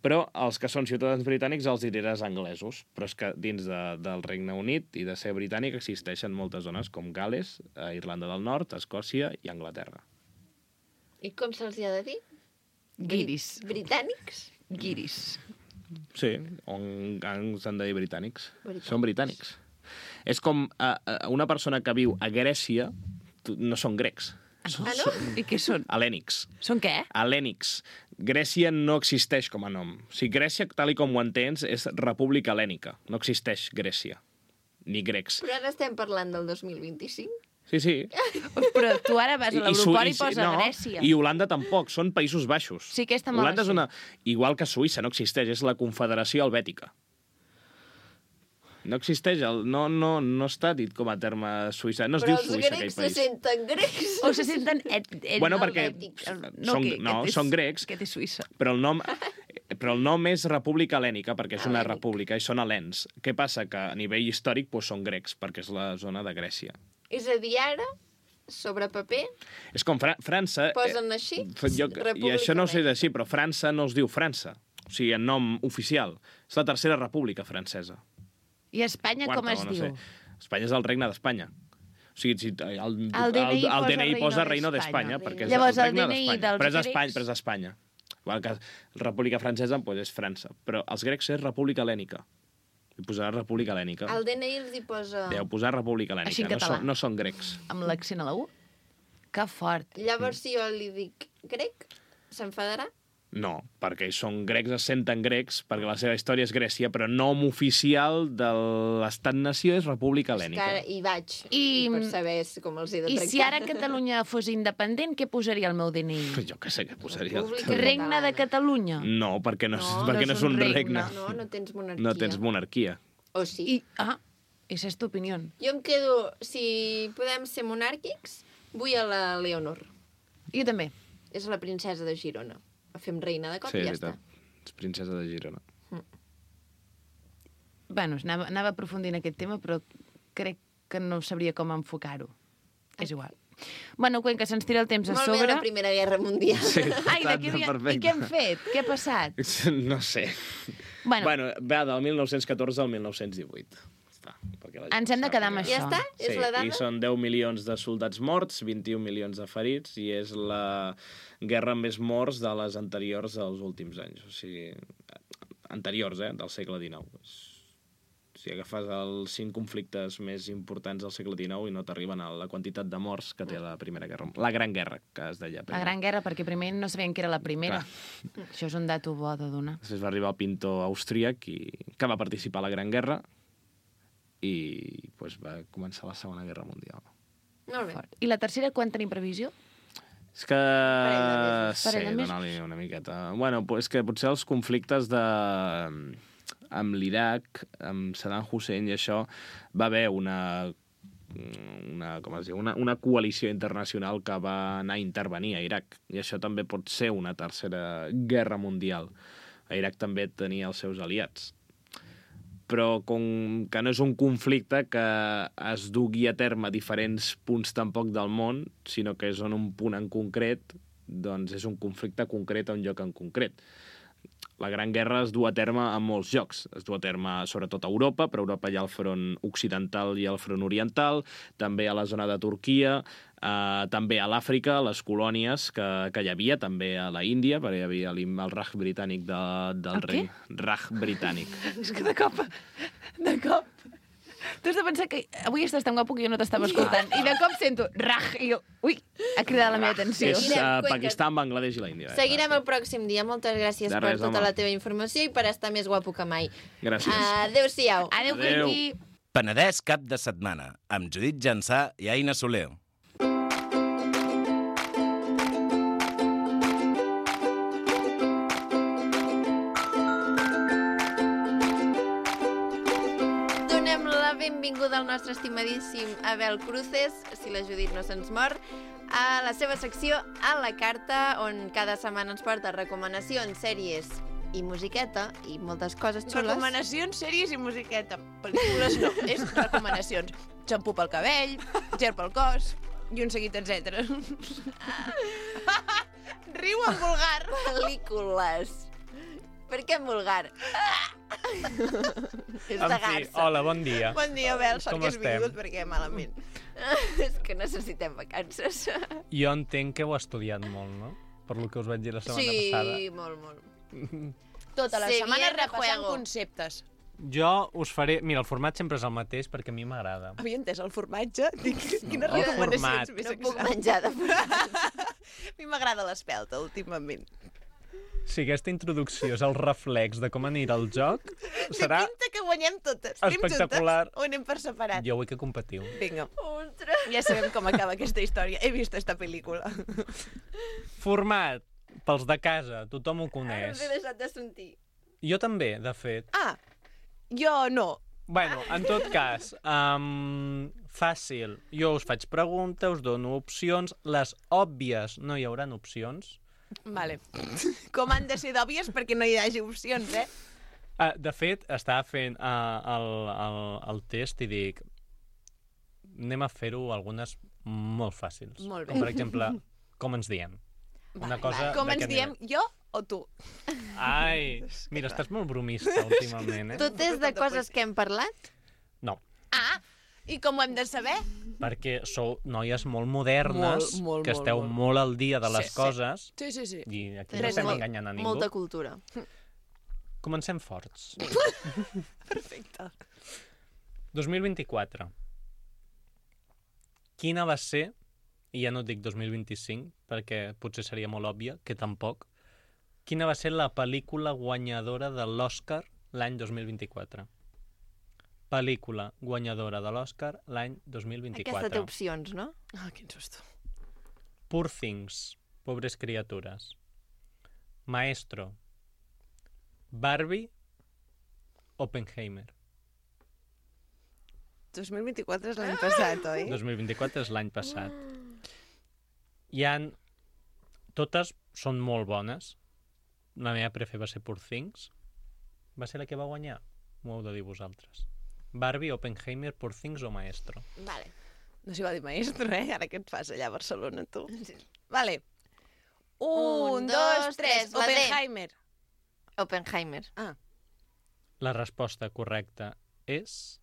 Però els que són ciutadans britànics els diràs anglesos. Però és que dins del Regne Unit i de ser britànic existeixen moltes zones com Gales, Irlanda del Nord, Escòcia i Anglaterra. I com se'ls ha de dir? Guiris. Britànics? Guiris. Sí, s'han de dir britànics. Són britànics. És com una persona que viu a Grècia no són grecs. No? I què són? Hel·lènics. Són què? Hel·lènics. Grècia no existeix com a nom. O sigui, Grècia, tal com ho entens, és república hel·lènica. No existeix Grècia. Ni grecs. Però ara estem parlant del 2025? Sí. Però tu ara vas a l'aeroport i posa Grècia. I Holanda tampoc, són Països Baixos. Sí, aquesta me la Holanda és una... Igual que Suïssa, no existeix, és la Confederació Helvètica. No existeix, no està dit com a terme Suïssa. No es diu Suïssa, aquell país. Però els grecs se senten grecs. O se senten... Bueno, perquè són grecs, que té Suïssa. però el nom és República Hel·lènica, perquè és una república, i són hel·lens. Què passa? Que a nivell històric són grecs, perquè és la zona de Grècia. És a dir, ara, sobre paper... És com França... Posen així? I això no ho sé així, però França no es diu França. O sigui, en nom oficial. És la tercera república francesa. I Espanya com es diu? Espanya és el regne d'Espanya. O sigui, el DNI posa Reino d'Espanya, perquè és llavors, el regne DNI d'Espanya. Però és Espanya. Igual que República Francesa és França. Però els grecs és República Hel·lènica. Hi posarà República Hel·lènica. El DNI els hi posa... Deu posar República Hel·lènica. Així en català. No són grecs. Amb l'accent a la U? Que fort. Llavors, si jo li dic grec, s'enfadarà? No, perquè són grecs, es senten grecs, perquè la seva història és Grècia, però nom oficial de l'estat-nació és República Hel·lènica. Hi vaig, per saber com els he de tractar. I si ara Catalunya fos independent, què posaria el meu DNI? Jo què sé què posaria. Regne de Catalunya? No, perquè no és un regne. No tens monarquia. No tens monarquia. O sí. Esa és tu opinió. Jo em quedo, si podem ser monàrquics, vull a la Leonor. Jo també. És la princesa de Girona. La fem reina de cop i ja està. És princesa de Girona. Bueno, anava a aprofundir en aquest tema, però crec que no sabria com enfocar-ho. És igual. Bueno, Cuenca, se'ns tira el temps a sobre. Molt bé la Primera Guerra Mundial. Sí, I què hem fet? Què ha passat? No sé. Bueno, va del 1914 al 1918. està. Perquè la gent Ens hem de quedar amb sàpiga. això. Ja està? És la dada? I són 10 milions de soldats morts, 21 milions de ferits, i és la guerra amb més morts de les anteriors dels últims anys. O sigui, anteriors, del segle XIX. Si agafes els 5 conflictes més importants del segle XIX i no t'arriben a la quantitat de morts que té la Primera Guerra. La Gran Guerra, que es deia primer. La Gran Guerra, perquè primer no sabien que era la primera. Clar. Això és un dato bo de donar. Després va arribar el pintor austríac que va participar a la Gran Guerra i pues, va començar la Segona Guerra Mundial. Molt bé. I la tercera, quan tenim previsió? És que... Parell de mesos. donar-li una miqueta. Bueno, és que potser els conflictes amb l'Iraq, amb Saddam Hussein i això, va haver una coalició internacional que va anar a intervenir a Iraq. I això també pot ser una tercera guerra mundial. A Iraq també tenia els seus aliats. Però com que no és un conflicte que es dugui a terme a diferents punts tampoc del món, sinó que és en un punt en concret, doncs és un conflicte concret a un lloc en concret. La Gran Guerra es du a terme en molts llocs. Es du a terme sobretot a Europa, però a Europa hi ha el front occidental i el front oriental, també a la zona de Turquia, també a l'Àfrica, a les colònies que hi havia, també a la Índia, perquè hi havia el Raj britànic del rei. Raj britànic. És que de cop... Tu has de pensar que avui estàs tan guapo que jo no t'estava escoltant. I de cop sento Raj i jo... Ui, ha cridat la meva atenció. És Anirem, Pakistan, Bangladesh i la Índia. Seguirem el pròxim dia. Moltes gràcies De per res, tota home. la teva informació i per estar més guapo que mai. Gràcies. Adéu-siau. Adéu, Adéu. Quinqui. Penedès cap de setmana, amb Judit Jansà i Aina Soler. Donem la benvinguda al nostre estimadíssim Abel Cruces, si la Judit no se'ns mor, a la seva secció A la Carta, on cada setmana ens porta recomanacions, sèries i musiqueta i moltes coses xules. Recomanacions, sèries i musiqueta. Pel·lícules no, és recomanacions. Xampú pel cabell, gel pel cos i un seguit, etc. Riu en vulgar. Pel·lícules. Per què en vulgar? És de garça. Hola, bon dia. Bon dia, Abel, sort Com que has estem? vingut perquè malament. És que necessitem vacances. Jo entenc que heu estudiat molt, no? Per lo que us vaig dir la setmana passada. Sí, molt. Tota la Se setmana viene repassant juego. conceptes. Jo us faré... Mira, el format sempre és el mateix perquè a mi m'agrada. Havia entès el formatge? Dic, quines El recomanacions format. més No puc exactes. menjar de format. A mi m'agrada l'espelta, últimament. Si aquesta introducció és el reflex de com anirà el joc, serà... Té pinta que guanyem totes. Anem espectacular. juntes o anem per separat? Jo vull que competiu. Vinga, Ostres. ja sabem com acaba aquesta història. He vist esta pel·lícula. Format, pels de casa, tothom ho Ara coneix. us he deixat de sentir. Jo també, de fet. Ah, jo no. Bueno, en tot cas, fàcil. Jo us faig preguntes, us dono opcions. Les òbvies no hi hauran opcions. Vale. Com han de ser d'òbvies perquè no hi hagi opcions, eh? De fet, estava fent el test i dic anem a fer-ho algunes molt fàcils. Molt bé. Com, per exemple, com ens diem. Una cosa Com ens d'aquest diem, nivell. jo o tu? Ai, mira, estàs molt bromista últimament, eh? Tot és de coses que hem parlat? No, Ah, i com ho hem de saber? perquè sou noies molt modernes, Molt, que esteu molt al dia de les Sí, sí. coses, Sí, sí, sí. i aquí no Res estem molt- enganyant a ningú. Molta cultura. Comencem forts. Perfecte. 2024. Quina va ser, i ja no et dic 2025, perquè potser seria molt òbvia, que tampoc, quina va ser la pel·lícula guanyadora de l'Oscar l'any 2024? Pel·lícula guanyadora de l'Oscar l'any 2024. Aquesta té opcions, no? Ah, quin susto. Poor Things, Pobres criatures. Maestro. Barbie. Oppenheimer. 2024 és l'any passat, oi? 2024 és l'any passat. Hi han... Totes són molt bones. La meva prefe va ser Poor Things. Va ser la que va guanyar? M'ho heu de dir vosaltres. Barbie, Oppenheimer, Poor Things o Maestro? Vale. No s'hi va dir maestro, eh? Ara què et fas allà a Barcelona, tu? Vale. Un, dos, tres, la D. Oppenheimer. Oppenheimer. Ah, La resposta correcta és...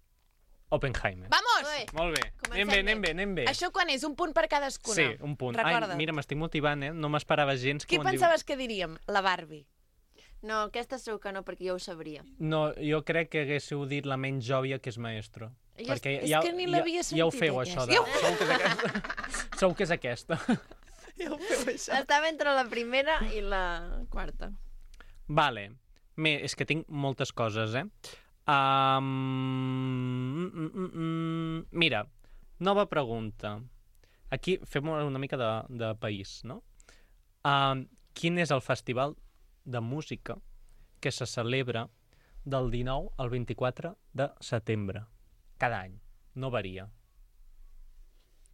Oppenheimer. Vamos! Ui. Molt bé. Comencem Anem bé. Això quan és? Un punt per cadascuna? Sí, un punt. Recorda't. Ai, mira, m'estic motivant, No m'esperava gens que Qui ho en pensaves que diríem? La Barbie. No, aquesta segur que no, perquè jo ho sabria. No, jo crec que haguéssiu dit la menys òbvia, que és Maestro. Jo Perquè és que ni l'havia ja ho sentit, feu, aquesta. això. Segur que és aquesta. Segur que és aquesta. Ja ho feu, això. Estava entre la primera i la quarta. Vale. És que tinc moltes coses, Mira, nova pregunta. Aquí fem una mica de país, no? Quin és el festival de música que se celebra del 19 al 24 de setembre? Cada any. No varia.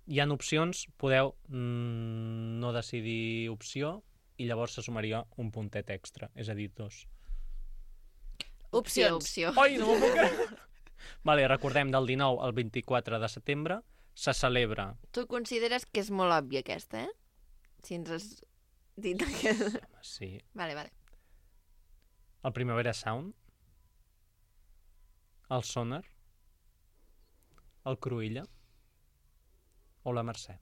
Hi ha opcions, podeu no decidir opció i llavors se sumaria un puntet extra, és a dir, 2. Opcions. Ai, no m'ho puc creure. Vale, recordem, del 19 al 24 de setembre se celebra... Tu consideres que és molt òbvia aquesta, Si ens has dit aquesta... Home, sí. Vale. El Primavera Sound, el Sonar, el Cruïlla o la Mercè.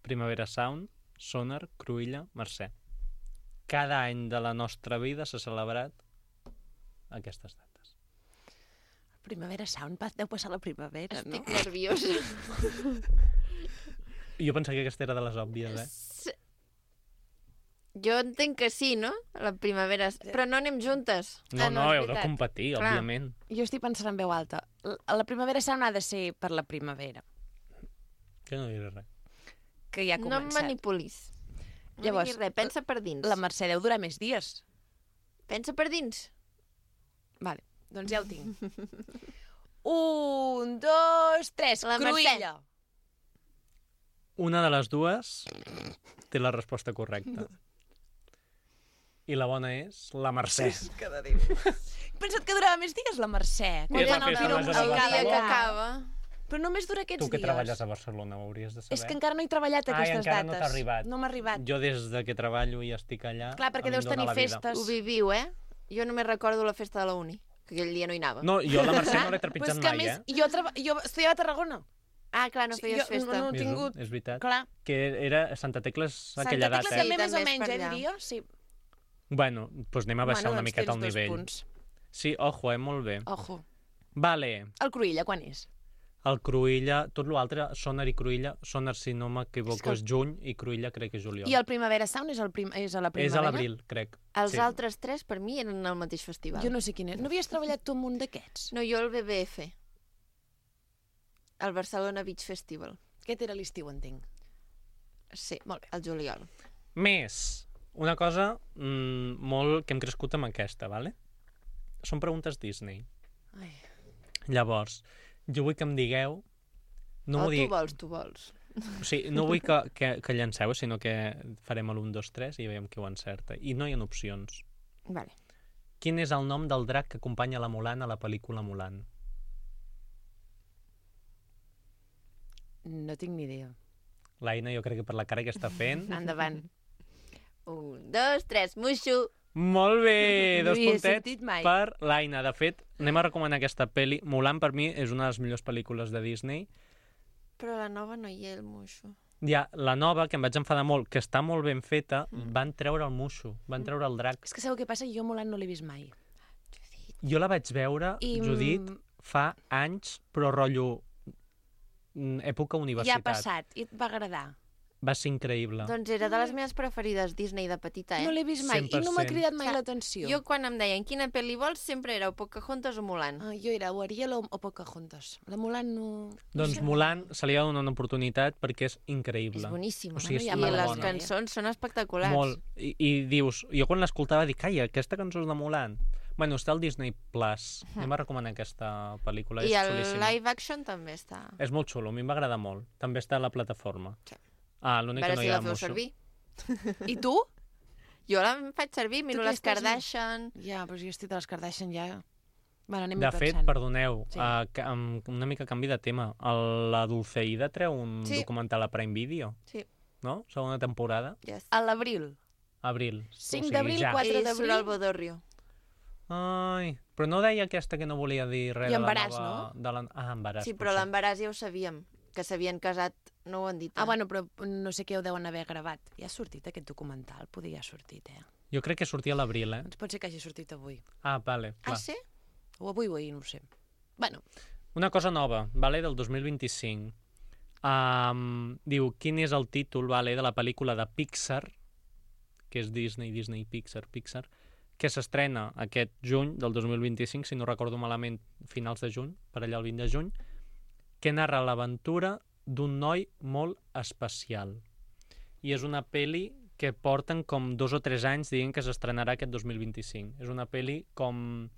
Primavera Sound, Sonar, Cruïlla, Mercè. Cada any de la nostra vida s'ha celebrat aquestes dates. Primavera Sound, deu passar la primavera, no? Estic nerviosa. Jo pensava que aquesta era de les òbvies, Jo entenc que sí, no? La primavera... Però no anem juntes. No, és heu de veritat. competir, Clar. òbviament. Jo estic pensant en veu alta. La primavera Sound ha de ser per la primavera, Jo no diré res. que ja ha No em començat. manipulis. No Llavors, diguis res, pensa per dins. La Mercè deu durar més dies. Pensa per dins. Vale, doncs ja ho tinc. 1, 2, 3, La Mercè. Cruïlla. Una de les dues té la resposta correcta. I la bona és la Mercè. He pensat que durava més dies, la Mercè. És la Quan festa el major tiro de El dia que Barcelona. acaba... Però només dura aquests Tu que dies. treballes a Barcelona ho hauries de saber. És que encara no he treballat Ai, aquestes encara dates. no t'ha arribat. No m'ha arribat. Jo des de que treballo i estic allà... Clar, perquè a mi deus em dóna tenir la vida. festes. Ho viviu, Jo només recordo la festa de la uni, que aquell dia no hi anava. No, jo a la Mercè no l'he Però trepitjat és que a mai, més, jo estudiava a Tarragona. Ah, clar, no feies festa. No he És, tingut... és veritat. Clar. Que era Santa Tecles Santa aquella Tecla data. també Sí, més o també és menys, per allà. diria. Sí. Bueno, doncs anem a baixar una miqueta el tens 2 nivell. punts. Sí, ojo, molt bé. Ojo. Vale, El Cruïlla, quan és? el Cruïlla, tot l'altre, Sonar i Cruïlla, Sonar, si no m'equivoco, És és juny i Cruïlla crec que és juliol. I el Primavera Sound és a la primavera? És a l'abril, crec. Els Sí. altres tres, per mi, eren el mateix festival. Jo no sé quin és. No havies treballat tu amb un d'aquests? No, jo el BBF. El Barcelona Beach Festival. Aquest era l'estiu, entenc. Sí, Molt bé. el juliol. Més, una cosa molt que hem crescut amb aquesta, vale? Són preguntes Disney. Ai. Llavors, jo vull que em digueu... No O m'ho tu vols. O sigui, no vull que llanceu, sinó que farem l'1, 2, 3 i veiem qui ho encerta. I no hi ha opcions. Vale. Quin és el nom del drac que acompanya la Mulan a la pel·lícula Mulan? No tinc ni idea. L'Aina, jo crec que per la cara que està fent... Endavant. 1, 2, 3, Mushu. Molt bé! No 2 hi he puntets sentit mai. per l'Aina. De fet, anem a recomanar aquesta pel·li. Mulan, per mi, és una de les millors pel·lícules de Disney. Però a la nova no hi ha el Mushu. Ja, la nova, que em vaig enfadar molt, que està molt ben feta, van treure el Mushu, van treure el drac. És que sabeu què passa? Jo Mulan no l'he vist mai. Jo la vaig veure, I, Judit, fa anys, però rotllo època Ja universitat. ha passat i et va agradar. Va ser increïble. Doncs era de les meves preferides Disney de petita, No l'he vist mai i no m'ha 100%. cridat mai Clar, l'atenció. Jo quan em deien quina pel·li vols, sempre era o Pocahontas o Mulan. Jo era o Ariel o Pocahontas. La Mulan no... Doncs Mulan se li ha de donar una oportunitat perquè és increïble. És boníssima. O sigui, Bueno, és ja I me la les superbona. bona. cançons són espectaculars. Molt. I dius, jo quan l'escoltava dic, ai, aquesta cançó és de Mulan. Bueno, està al Disney Plus. Anem a recomanar aquesta pel·lícula, I és el xulíssima. live action també està. És molt xulo, a mi em va agradar molt. També està a la plataforma. Sí. Ah, A l'únic que veure no si hi ha la feu Mushu. servir. I tu? Jo la faig servir, miro què les estàs Kardashian. Ja, però jo estic de les Kardashian ja... Bueno, anem De fet, pensant. perdoneu, Sí. amb una mica canvi de tema. La Dulceida treu un Sí. documental a Prime Video, Sí, no? Segona temporada. yes. A l'abril. Abril. 5 d'abril, ja. 4 I d'abril. surt el Bodorrio. Ai, Però no deia aquesta que no volia dir res I de la embaràs, nova... Embaràs. Sí, però potser. l'embaràs ja ho sabíem, que s'havien casat, no ho han dit. Bueno, però no sé què ho deuen haver gravat. Ja ha sortit aquest documental? Podria ha sortit, Jo crec que sortia a l'abril, Doncs pot ser que hagi sortit avui. Vale, clar. sí? O avui o ahir, no ho sé. Bueno, Una cosa nova, del 2025. Diu, quin és el títol de la pel·lícula de Pixar, que és Disney, Pixar, que s'estrena aquest juny del 2025, si no recordo malament, finals de juny, per allà el 20 de juny, que narra l'aventura d'un noi molt especial. I és una pel·li que porten com 2 o 3 anys dient que s'estrenarà aquest 2025. És una pel·li com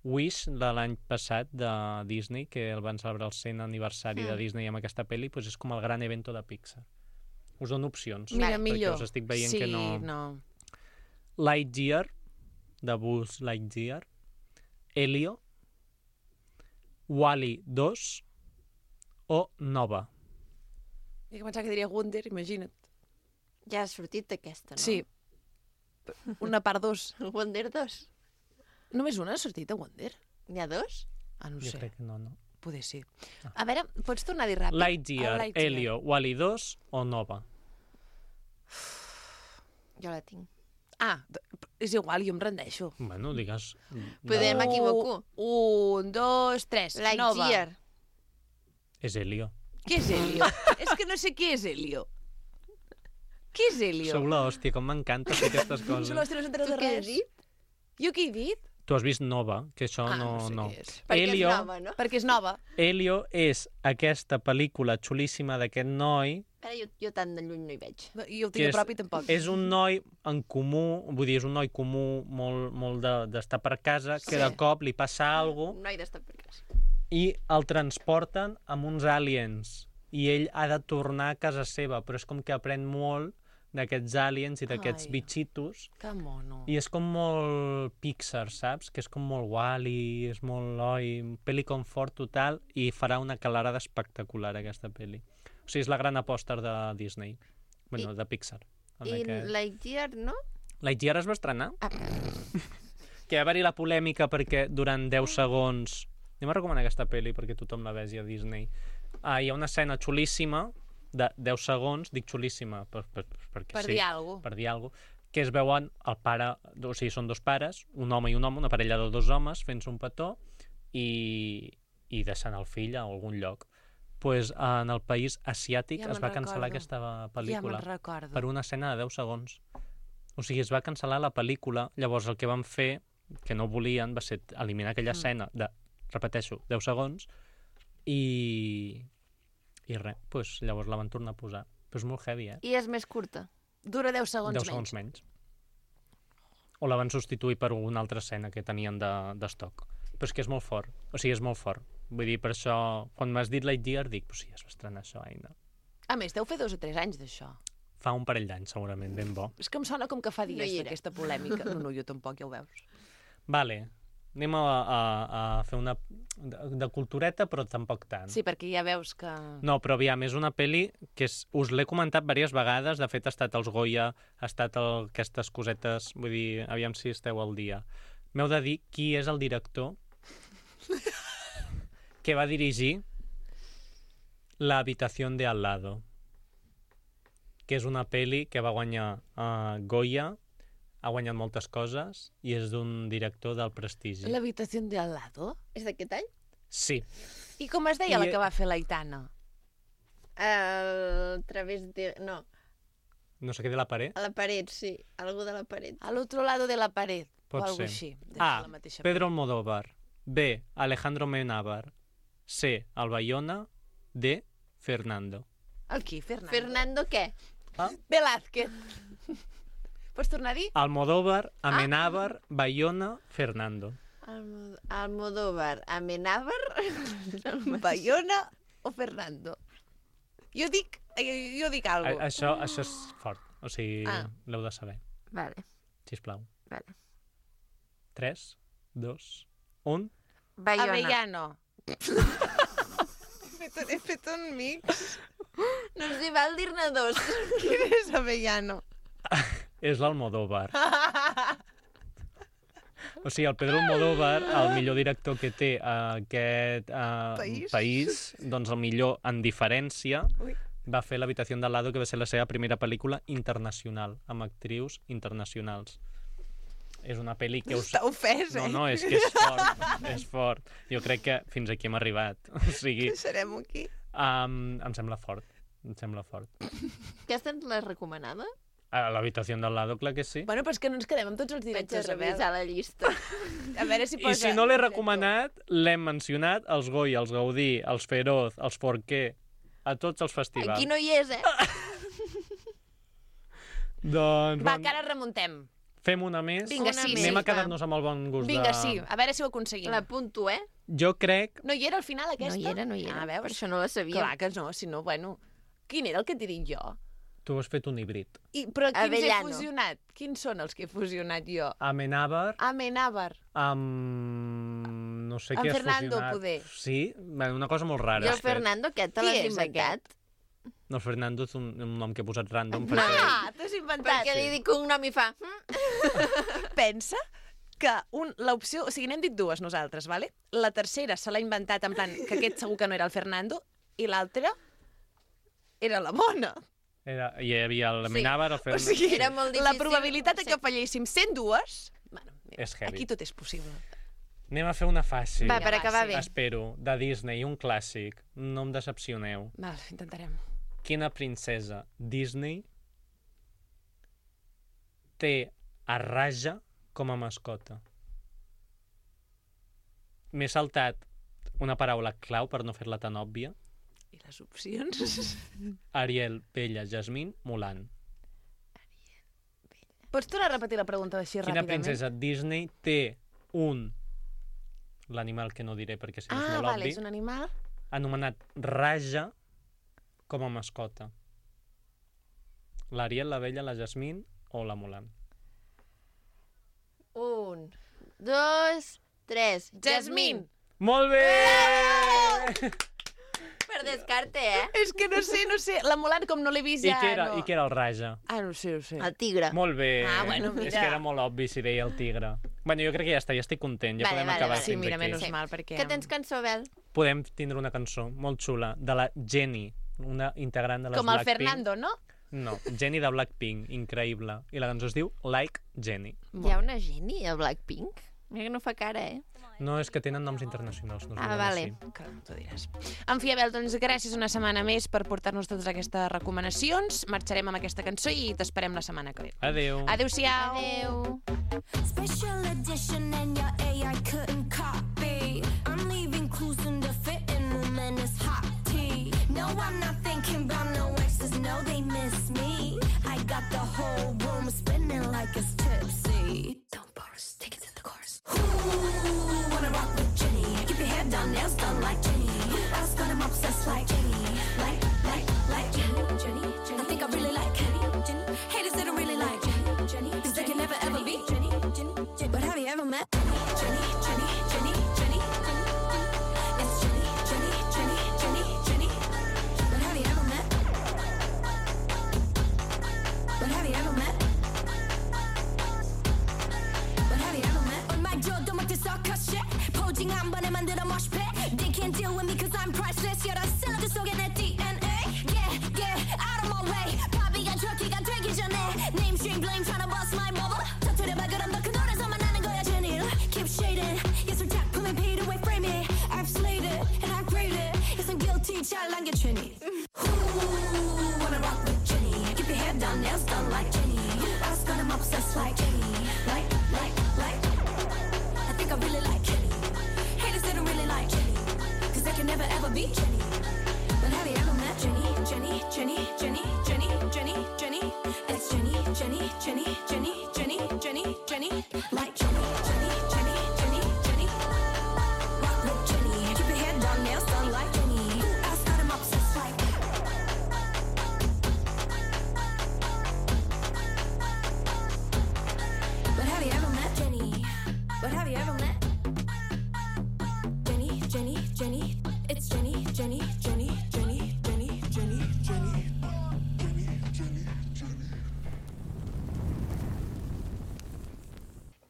Wish de l'any passat de Disney, que el van celebrar el 100 aniversari de Disney amb aquesta pel·li, doncs és com el gran evento de Pixar. Us dono opcions, mira, perquè millor. us estic veient sí, que no... no. Lightyear, de Buzz Lightyear, Elio, Wall-E 2 o Nova. Jo pensava que diria Wonder, imagina't. Ja ha sortit aquesta, no? Sí. Una part 2. El Wonder 2. Només una ha sortit a Wonder? N'hi ha 2? No Jo sé. crec que no. Poder sí. A veure, pots tornar a dir ràpid? Lightyear, Elio, Wall-E 2 o Nova. Jo la tinc. És igual, jo em rendeixo. Bueno, digues... Podem m'equivoco. 1, 2, 3. Nova. Lightyear. És Elio. Què és Elio? És que no sé què és Elio. Què és Elio? Sou l'hòstia, com m'encanta fer aquestes coses. Sou l'hòstia, no s'entera Tu de què has res. dit? Jo què he dit? Tu has vist Nova, que això no sé no. què és. Perquè Elio, és nova, no? Perquè és nova. Elio és aquesta pel·lícula xulíssima d'aquest noi Ara jo tant de lluny no hi veig. I el tinc a prop i tampoc. és un noi en comú, vull dir, és un noi comú molt d'estar per casa, que de cop li passa alguna Un noi d'estar per casa. i el transporten amb uns aliens i ell ha de tornar a casa seva, però és com que aprèn molt d'aquests aliens i d'aquests Ai. bitxitos Que mono. i és com molt Pixar, saps? Que és com molt Wall-E, és molt pel·li confort total i farà una calarada espectacular aquesta pel·li. O sigui, és la gran aposta de Disney. Bueno, de Pixar. I Lightyear, no? Lightyear es va estrenar? Que va haver-hi la polèmica perquè durant 10 segons... Anem a recomanar aquesta pel·li perquè tothom la vegi a Disney. Hi ha una escena xulíssima de 10 segons, dic xulíssima perquè Per sí, dir alguna cosa. per dir alguna cosa, que es veuen el pare, o sigui, són 2 pares, un home i un home, una parella de 2 homes fent-se un petó i deixant el fill a algun lloc. Pues en el país asiàtic Ja es me'n va cancel·lar recordo. aquesta pel·lícula Ja me'n recordo. per una escena de 10 segons. O sigui, es va cancel·lar la pel·lícula, llavors el que van fer, que no volien, va ser eliminar aquella escena de, repeteixo, 10 segons, i res, pues, llavors la van tornar a posar. Però és molt heavy, I és més curta. Dura 10 segons 10 segons menys. O la van substituir per una altra escena que tenien d'estoc. Però és que és molt fort. O sigui, és molt fort. Vull dir, per això, quan m'has dit Lightyear, dic, pues sí, es va estrenar això, Aina. A més, deu fer 2 o 3 anys d'això. Fa un parell d'anys, segurament, ben bo. És que em sona com que fa No dies hi era. d'aquesta polèmica. No, jo tampoc, ja ho veus. Vale, anem a fer una de cultureta, però tampoc tant. Sí, perquè ja veus que... No, però aviam, és una pel·li que us l'he comentat diverses vegades, de fet ha estat als Goya, ha estat aquestes cosetes, vull dir, aviam si esteu al dia. M'heu de dir qui és el director que va dirigir La habitación de al lado, que és una pel·li que va guanyar Goya, ha guanyat moltes coses i és d'un director del prestigi. L'habitació de al lado? És d'aquest any? Sí. I com es deia I- la que va fer l'Aitana? A través de... No, No sé què de la paret. a la paret, sí. Algú de la paret. A l'altre lado de la paret. Pot o alguna ser. així. A. La mateixa Pedro Almodóvar. B. Alejandro Amenábar. C. Albayona. D. Fernando. El qui? Fernando? Fernando què? Velázquez. Pots tornar a dir? Almodóvar, Amenábar, Bayona, Fernando. Almodóvar, Amenábar... Bayona o Fernando? Jo dic alguna cosa. Això és fort. O sigui, l'heu de saber. Vale, Sisplau. vale. 3, 2, 1... Bayona. Avellano. He fet un mix. No ens hi val dir-ne 2. Quin és Avellano? És l'Almodóvar. O sigui, el Pedro Almodóvar, el millor director que té aquest país, doncs el millor en diferència, va fer l'Habitació del Lado, que va ser la seva primera pel·lícula internacional, amb actrius internacionals. És una pel·li que... Està ofès, eh? No, és que és fort, és fort. Jo crec que fins aquí hem arribat. O sigui... Serem aquí. Em sembla fort, Aquesta és la recomanada? A l'Habitació del Lado, clar que sí. Bueno, però és que no ens quedem amb tots els Vaig a directors, revisar la llista. A veure si I posa... si no l'he recomanat, l'hem mencionat els Goya, els Gaudí, els Feroz, els Forqué, a tots els festivals. Aquí no hi és, Doncs... Va, que ara remuntem. Fem una més. Vinga, Una sí, més. Anem a quedar-nos amb el bon gust Vinga, de... sí, a veure si ho aconseguim. L'apunto, Jo crec... No hi era al final, aquesta? No hi era. Ah, veus? Per això no la sabia. Clar que no, si no, bueno... Quin era el que t'he dit jo? Tu has fet un híbrid. Però quins Avellano. he fusionat? Quins són els que he fusionat jo? Amenábar Amenábar. amb... No sé Amb què has Fernando, fusionat. poder. Sí, una cosa molt rara. I el has fet. Fernando aquest te Qui l'has és inventat? No, el Fernando és un nom que he posat random. No. Perquè... Ah, t'has inventat. Perquè li dic un nom i fa... Pensa que l'opció... O sigui, n'hem dit dues nosaltres, vale? La tercera se l'ha inventat en plan que aquest segur que no era el Fernando i l'altra era la Mona. Hi havia l'Amenábar, el O Fernando... sigui, Era molt la difícil. probabilitat de que falléssim sent dues... Bueno, mira, És heavy. aquí tot és possible. Anem a fer una fàcil. Va, per va, acabar sí. bé. Espero, de Disney, un clàssic. No em decepcioneu. Val, intentarem. Quina princesa Disney té a Raja com a mascota? M'he saltat una paraula clau per no fer-la tan òbvia. I les opcions? Ariel, Bella, Jasmine, Mulan. Pots tornar a repetir la pregunta així Quina ràpidament? princesa Disney té l'animal que no diré perquè si no és Ah, molt vale, obvi, és un animal? anomenat Raja com a mascota? L'Ariel, la Bella, la Jasmine o la Mulan? 1, 2, 3. Jasmine! Molt bé! Per descarte, És que no sé. La Mulan, com no l'he vist I ja... què era, no... I què era el Raja? Ah, no sé. El tigre. Molt bé. Ah, bueno, És mira. que era molt obvi si deia el tigre. Bueno, jo crec que ja està, ja estic content. Ja Vale, podem vale, acabar vale. Sí, fins mira, aquí. menys mal, perquè... Que tens cançó, Bel? Podem tindre una cançó molt xula de la Jenny, una integrant de les Com el Blackpink. Fernando, no? No, Jenny de Blackpink, increïble. I la cançó es diu Like Jenny. Hi ha una Jenny a Blackpink? Mira que no fa cara, No, és que tenen noms internacionals. No es Ah, diuen vale. així. Que t'ho diràs. En fi, Abel, doncs gràcies una setmana més per portar-nos totes aquestes recomanacions. Marxarem amb aquesta cançó i t'esperem la setmana que ve. Adéu. Adéu-siau. Adeu. Special edition and your AI couldn't copy. I'm leaving clues in the fitting room and it's hot tea. No, I'm not thinking about no exes, no, they miss me. I got the whole room spinning like it's tipsy. Don't bars, take it to the chorus. Ooh, wanna rock with Jenny. Keep your hair done, nails done like Jenny. Who else got him obsessed like Jenny? Like Jenny. I think I really like Jenny. Haters that don't really like Jenny. Cause they can never ever be Jenny. But have you ever met Jenny? It's Jenny. But have you ever met? On my jaw, don't make this all cut shit. Posing 한 번에 만들어 mosh pit. They can't deal with me cause I'm priceless. 여러 샐러드 속에 내 DNA. Yeah, out of my way. 바비가 저기가 되기 전에. Name string blame tryna bust my bubble. 터뜨려봐 그럼 너 그 노래서만 나는 거야 제닐. Keep shading. 예술 작품에 beat away frame it. I've slayed it and I grade it. Yes, I'm guilty 잘 남겨주니. Ooh, wanna rock with Jenny. Keep your hair done, nails done like Jenny. I was gonna obsessed like Jenny. Like. I think I really like Jenny. Haters that don't really like Jenny. Cause they can never ever be Jenny. But have you ever met Jenny? It's Jenny. Like Jenny. Rock with Jenny. Keep your hair done, nails done like Jenny. Who else got him obsessed like? But have you ever met Jenny? But have you ever met Jenny? It's Jenny.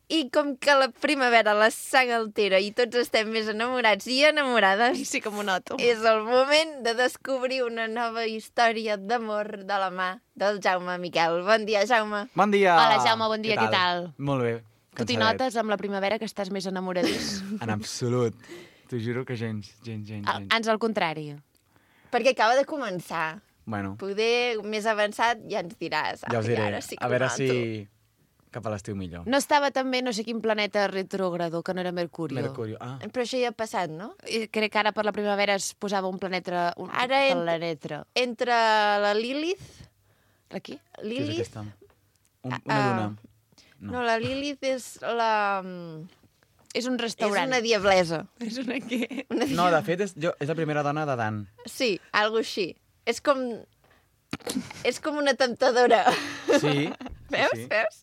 I com que la primavera la sang altera i tots estem més enamorats i enamorades, Sí que m'ho noto. és el moment de descobrir una nova història d'amor de la mà del Jaume Miquel. Bon dia, Jaume. Bon dia! Hola, Jaume, bon dia, què tal? Molt bé. Tu t'hi cansadet. notes amb la primavera que estàs més enamoradís? En absolut. T'ho juro que gens. Ans al contrari. Perquè acaba de començar. Bueno, Poder més avançat ja ens diràs. ja us Ai, diré. ara sí que A veure ho noto. si cap a l'estiu millor. No estava també no sé quin planeta retrògrado, que no era Mercurio. Mercurio. Ah, Però això ja ha passat, no? I crec que ara per la primavera es posava un planeta... Ara planeta. Entre la Lilith... Aquí? què és Lilith? aquesta? Una duna. No, la Lilith és la... És un És restaurant. una diablesa. És una què? No, de fet, és la primera dona d'Adan. Sí, algo així. És com una temptadora. Sí. Veus? Sí. Veus?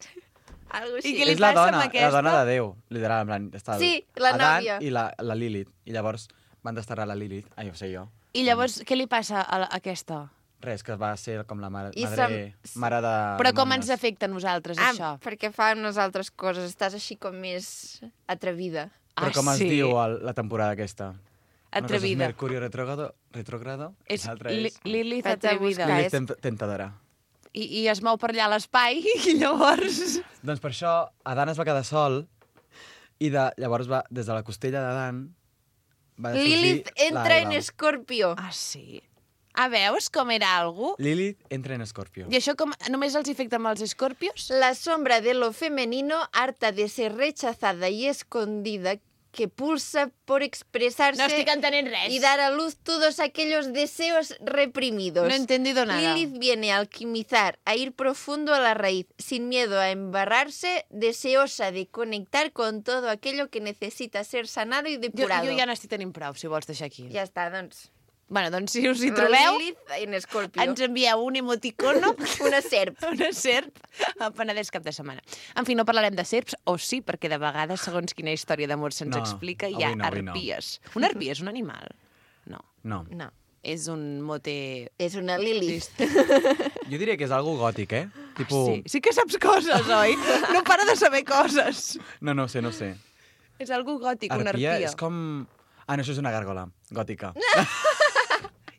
Algo així. I què li És la passa dona, amb aquesta? la dona de Déu, literal. En plan, està Sí, la Adan nòvia. i la Lilith. I llavors van desterrar la Lilith. Ai, ho sé jo. I llavors, què li passa a aquesta? Res, que va ser com la mare, I mare de... Però de com nòvies. ens afecta a nosaltres, Ah, això? perquè fa unes altres coses. Estàs així com més atrevida. Però com es diu la temporada aquesta? Una cosa és Atrevida. Mercurio retrógrado. És l'altra és Lilith Vaig a atrevida. buscar. Lilith tentadora. I es mou per allà a l'espai i llavors... Doncs per això Adan es va quedar sol i llavors va, des de la costella d'Adan va sorgir Lilith entra en l'Eva. Escorpio. Ah, sí? Ah, veus com era algú? Lilith entra en Escorpio. I això com només els afecta amb els escorpios? La sombra de lo femenino, harta de ser rechazada y escondida, que pulsa por expresarse No estic entenent res. y dar a luz todos aquellos deseos reprimidos. No he entendido nada. Lilith viene a alquimizar, a ir profundo a la raíz, sin miedo a embarrarse, deseosa de conectar con todo aquello que necesita ser sanado y Jo depurado. ja n'estic tenint prou, si vols deixar aquí. Ja està, doncs. Bueno, doncs si us hi La trobeu, Lilith en Escorpio. ens envieu un emoticono, Una serp. una serp, a Penedès cap de setmana. En fi, no parlarem de serps, o sí, perquè de vegades, segons quina història d'amor se'ns No, explica, hi ha avui no, avui no. arpies. Una arpia és un animal? No. No. No, És un mote... és una Lilith. Jo diria que és algo gòtic, eh? Tipo... Sí que saps coses, oi? No para de saber coses. No ho sé. És algo gòtic, una arpia. és com... Ah, no, això és una gàrgola gòtica.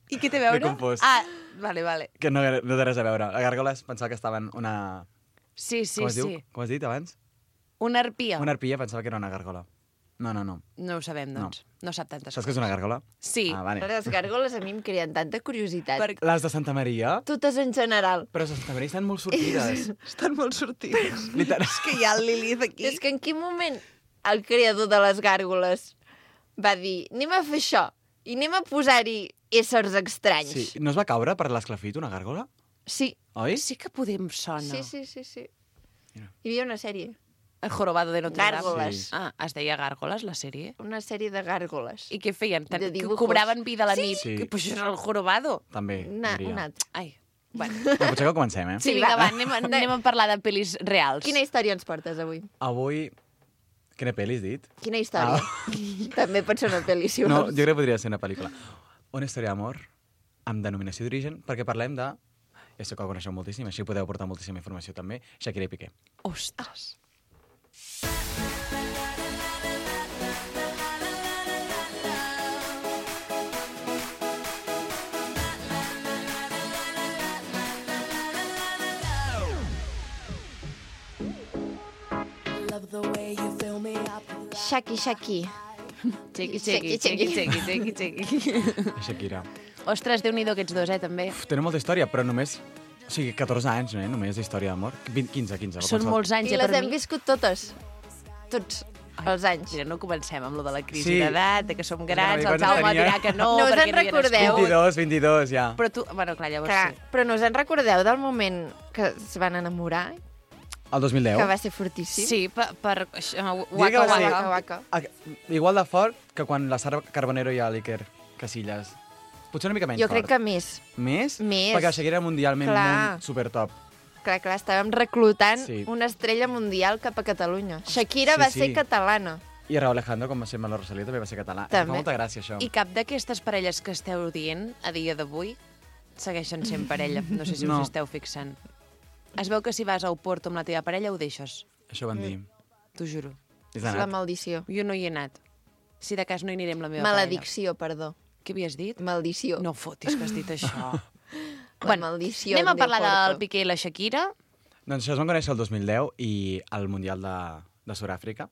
I què té a veure? M'he confós. Ah, vale. Que no té res a veure. La gàrgola es pensava que estaven una... Sí, Com es diu? Com has dit abans? Una arpia. Una arpia pensava que era una gàrgola. No. No ho sabem, doncs. No sap tantes Saps què és una gàrgola? Sí. Ah, vale. Les gàrgoles a mi em creen tanta curiositat. Per... Les de Santa Maria? Totes en general. Però les de Santa Maria estan molt sortides. Estan molt sortides. Literal. És que hi ha el Lilith aquí. És que en quin moment el creador de les gàrgoles va dir anem a fer això i anem a posar-hi éssers estranys. Sí. No es va caure per l'esclafit una gàrgola? Sí. Oi? Sí que podem sona. Sí. Mira. Hi havia una sèrie. El jorobado de Notre Dame. Gàrgoles. Sí. Ah, es deia Gàrgoles, la sèrie? Una sèrie de gàrgoles. I què feien? De Que dibujos. cobraven vida a la nit? Sí. Que, pues això és el jorobado. També, diria. Un altre. Ai, bueno. No, potser que comencem, eh? Sí, Sí, vinga, va. va, anem a parlar de pel·lis reals. Quina història ens portes avui? Avui... Quina pel·li has dit? Quina història? També pot ser una pel·li, si No, vols. jo crec que podria ser una pel·lícula. Una història d'amor amb denominació d'origen, perquè parlem de... Ja sé que ho coneixeu moltíssim, així podeu portar moltíssima informació també. Shakira i Piqué. Ostres. Shaki. Chequi. Shakira. Ostres, Déu-n'hi-do aquests dos, també. Uf, tenen molta història, però només... O sigui, 14 anys, no, només d'història d'amor. 15. Són molts anys, I per les hem mi. viscut totes. Tots els anys. Mira, no comencem amb lo de la crisi Sí. d'edat, de que som grans, Quan el Jaume tenia- dirà que no, No us perquè en no hi ha recordeu? nascut. 22, ja. Però tu... Bueno, clar, llavors Clar, sí. però no us en recordeu del moment que es van enamorar? El 2010. Que va ser fortíssim? Sí, per Diria que Waka va ser- Waka. Waka. Igual de fort que quan la Sara Carbonero i l'Iker Casillas. Potser una mica menys Jo fort. crec que més. Més? Més. Perquè la Shakira era mundialment Clar. un supertop. Clar, estàvem reclutant Sí. una estrella mundial cap a Catalunya. Shakira Sí, va sí. ser catalana. I Raúl Alejandro, com va ser amb la Rosalía, també va ser català. També. Fa molta gràcia, això. I cap d'aquestes parelles que esteu dient a dia d'avui segueixen sent parella. No sé si No. us esteu fixant. Es veu que si vas a Oporto amb la teva parella ho deixes. Això van dir. t'ho juro. És És la anat. maldició. Jo no hi he anat. Si de cas no hi aniré amb la meva Maledicció, perdó. parella. Què havies dit? Maldició. No fotis que has dit això. La maldició anem a de parlar Porto. del Piqué i la Shakira. Doncs això es van conèixer el 2010 i al Mundial de Sud-àfrica.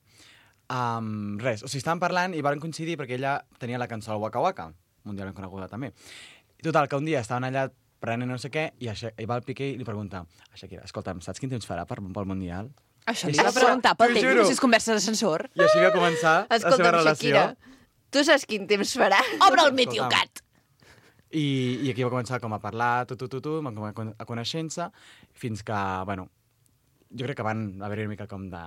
Res, o sigui, estaven parlant i van coincidir perquè ella tenia la cançó al Waka Waka, mundialment coneguda també. I total, que un dia estaven allà prenent no sé què i va el Piqué i li pregunta a Shakira, escolta'm, saps quin temps farà pel Mundial? Això li T'ho va preguntar pel juro. temps, si és conversa d'ascensor. I així va començar la seva Escolta'm, relació. Shakira, tu saps quin temps farà? Obre el Meteocat! I aquí va començar com a parlar, van a conèixer-se, fins que, bueno, jo crec que van haver-hi una mica com de...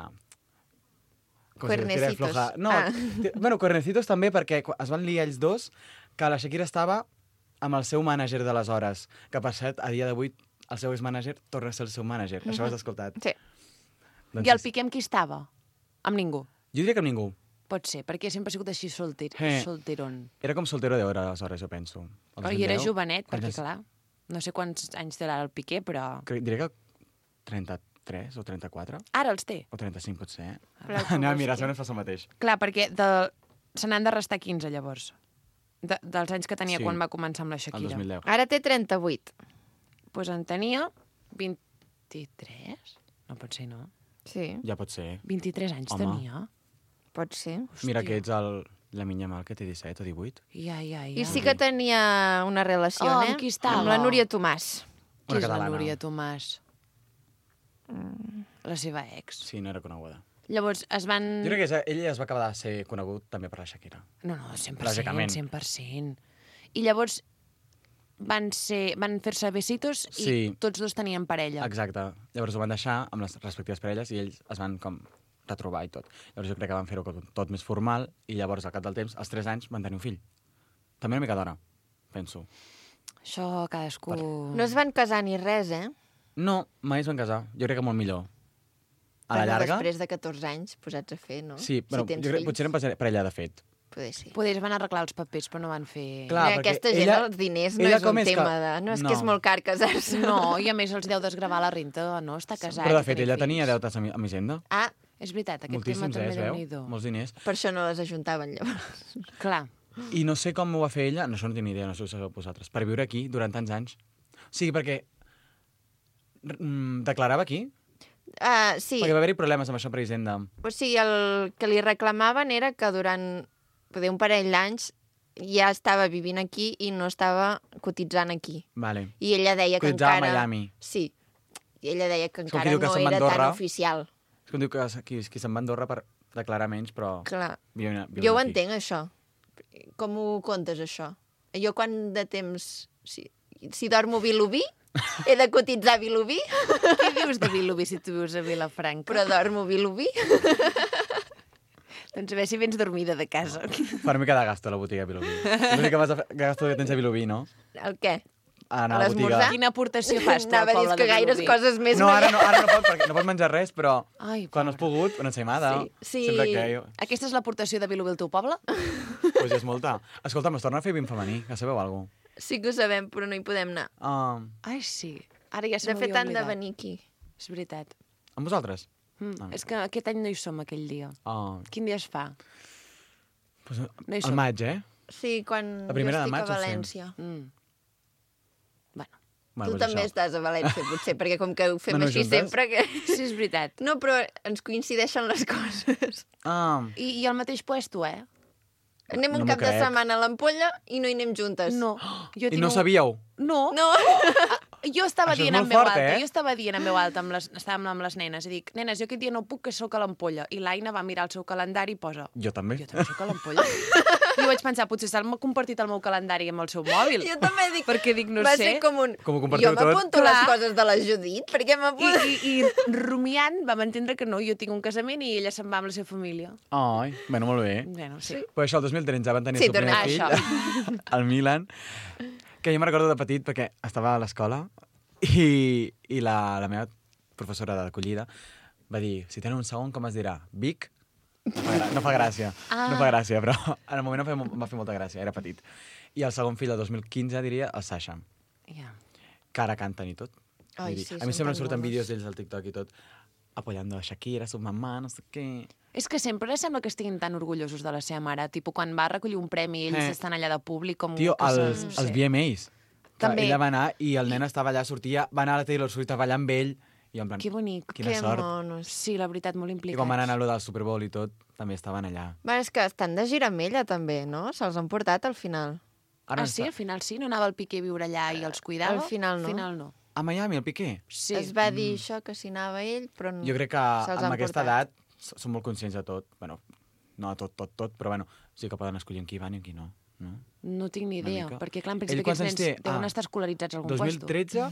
com si es tira Cuernecitos. floja. No, Ah. bueno, cuernecitos també, perquè es van liar ells dos, que la Shakira estava amb el seu mànager d'aleshores, que per cert, a dia d'avui, el seu ex-mànager torna a ser el seu mànager. Això ho has escoltat? Sí. Doncs I el sí. Piqué amb qui estava? Amb ningú. Jo diria que amb ningú. Pot ser, perquè sempre ha sigut així solteron. Era com soltero d'hora, aleshores, jo penso. El Oh, I era 2010. jovenet, Quants perquè anys? clar, no sé quants anys té ara el Piqué, però... Diria que 33 o 34, Ara els té. o 35 potser. Però Anem a com mirar, és que- segons passa el mateix. Clar, perquè se n'han de restar 15, llavors. Dels anys que tenia Sí. quan va començar amb la El Shakira. 2010. Ara té 38. Doncs en tenia 23? No pot ser, no? Sí, Ja pot ser. 23 anys Home. tenia. pot ser. Mira que ets la minya mal que té 17 o 18. Ja. I sí que tenia una relació, Oh, eh? amb qui estava? Amb la Núria Tomàs. Qui Una és la catalana. Núria Tomàs? La seva ex. Sí, no era coneguda. Llavors es van... Jo crec que ell es va acabar de ser conegut també per la Shakira. No, 100%, Lògicament. 100%. I llavors van fer-se besitos i Sí. tots dos tenien parella. Exacte. Llavors ho van deixar amb les respectives parelles i ells es van com retrobar i tot. Llavors jo crec que van fer-ho tot més formal i llavors al cap del temps, als 3 anys, van tenir un fill. També una mica d'hora, penso. Això cadascú... No es van casar ni res, eh? No, mai es van casar. Jo crec que molt millor. A la Bueno, llarga... Després de 14 anys posats a fer, no? Sí, bueno, si tens jo crec, fills, potser eren parella de fet. poder ser. Poder es van arreglar els papers, però no van fer... Clar, Mira, perquè aquesta gent, ella- els diners no ella és com un és que- tema de... No, és No. que és molt car casar-se. No, i a més els deu desgravar la renta, no? Està casat. Però de i fet, tenir ella fills. tenia deutes amb Hisenda. Ah, És veritat, aquest Moltíssims, tema també es veu? déu-n'hi-do. Molts diners. per això no les ajuntaven, llavors. Clar. I no sé com ho va fer ella, no, això no tinc ni idea, no sé si ho sabeu vosaltres, per viure aquí durant tants anys. O sigui, perquè declarava aquí, Sí, perquè va haver-hi problemes amb això per Hisenda. o sigui, el que li reclamaven era que durant poder un parell d'anys ja estava vivint aquí i no estava cotitzant aquí. Vale. I ella deia que Cotitzava a encara... Miami. Sí. I ella deia que És com encara qui diu que no se'n va a era tan Andorra. oficial. És com diu que qui se'n va a Andorra per declarar menys, però... Clar. viuen Jo ho aquí. entenc, això. Com ho comptes, això? Jo quan de temps... Si dormo Vilobí, he de cotitzar Vilobí, Què dius de Vilobí si tu vius a Vilafranca? però dormo Vilobí. Doncs a veure si vens dormida de casa. Per mi cada gasto a la botiga de Vilobí. L'únic gasto que tens a Vilobí, no? El què? Anar A a la botiga... l'esmorzar? Quina aportació fas tu al Anava a dir poble que de gaires Vilobí? coses més No, ara veia. no, ara no pot, perquè no pot menjar res, però Ai, quan has pogut, una ensaïmada. Sí. Sempre que jo... Aquesta és l'aportació de Vilobí al teu poble? Pues és molta. Escolta'm, es torna a fer vint femení, ja sabeu alguna cosa? Sí que ho sabem, però no hi podem anar. Ai, sí. Ara ja se De fet, m'havia han de oblidat. venir aquí. És veritat. amb vosaltres? És que aquest any no hi som, aquell dia. Quin dia es fa? Pues, No hi al som. maig, eh? Sí, quan La primera jo de estic maig a ho sé. València. Bueno, Tu pues també això. estàs a València, potser, perquè com que ho fem No, no, així juntes? sempre... Que... sí, és veritat. No, però ens coincideixen les coses. I al mateix puesto, eh? Anem un No m'ho cap de crec. setmana a l'Ampolla i no hi anem juntes. No. Jo I no ho sabíeu? No. No. Jo estava Això és dient en molt veu fort, alta, eh? jo estava dient en veu alta, estàvem amb les nenes, i dic, nenes, jo aquest dia no puc, que sóc a l'Ampolla. I l'Aina va mirar el seu calendari i posa, Jo també. jo també sóc a l'Ampolla. I vaig pensar, potser s'ha compartit el meu calendari amb el seu mòbil. Jo també dic... Perquè dic, no va sé. ser com un... Com ho compartiu jo tot? m'apunto Clar. les coses de la Judit, perquè m'apunto... I rumiant vam entendre que no, jo tinc un casament i ella se'n va amb la seva família. Ai, bueno, molt bé. Bueno, sí. Però això, el 2013 van tenir Sí, el seu primer tornem fill, al Milan, que jo me'n recordo de petit perquè estava a l'escola i la meva professora d'acollida va dir, si tenen un segon, com es dirà? Vic? No fa gràcia, no fa gràcia, però en el moment em va fer molta gràcia, era petit. I el segon fill, el 2015, diria el Sasha, Ja. que ara canten i tot. Ai, Vull dir, sí, a mi són sempre em tan surten monos. vídeos d'ells al TikTok i tot. apoyando a Shakira, su mamà, no sé què... És que sempre sembla que estiguin tan orgullosos de la seva mare. Tipus, quan va recollir un premi, ells estan allà de públic com... Tio, que els VMAs. També. Ella va anar i el nen estava allà, sortia, va anar a la Taylor Swift a ballar amb ell, i en plan, Que bonic. quina Que sort. monos. Sí, la veritat, molt I implicats. quan van anar a lo del Super Bowl i tot, també estaven allà. Bueno, és que estan de gira amb ella, també, no? Se'ls han portat al final. Ah, sí? Al final sí? No anava el Piqué a viure allà i els cuidava? Al final no. Al final no. A Miami, el Piqué? Sí. Es va dir això, que s'hi anava ell, però no. Jo crec que Se'ls amb han aquesta portat. edat són molt conscients de tot. Bueno, no de tot, però bueno, sí que poden escollir en qui van i en qui no. No? No tinc ni Una idea, mica. perquè clar, en Ell principi quants aquests anys nens té? deuen estar escolaritzats a algun 2013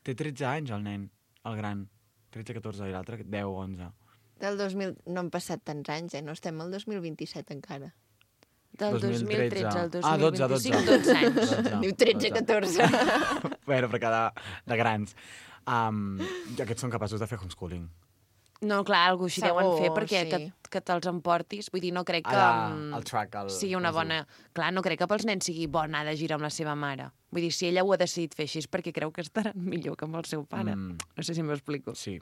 té 13 anys el nen, el gran. 13-14 i l'altre 10-11. Del 2000... No han passat tants anys, No estem al 2027 encara. Del 2013 al 2025, Ah, 12 12 anys. 12. Diu 13-14. Bueno, però de grans. Aquests són capaços de fer homeschooling. No, clar, algú així Segur, deuen fer perquè sí. que te'ls emportis. Vull dir, no crec que El track, sigui una bona... Clar, no crec que pels nens sigui bo anar de gira amb la seva mare. Vull dir, si ella ho ha decidit fer així és perquè creu que estaran millor que amb el seu pare. No sé si m'explico. Sí.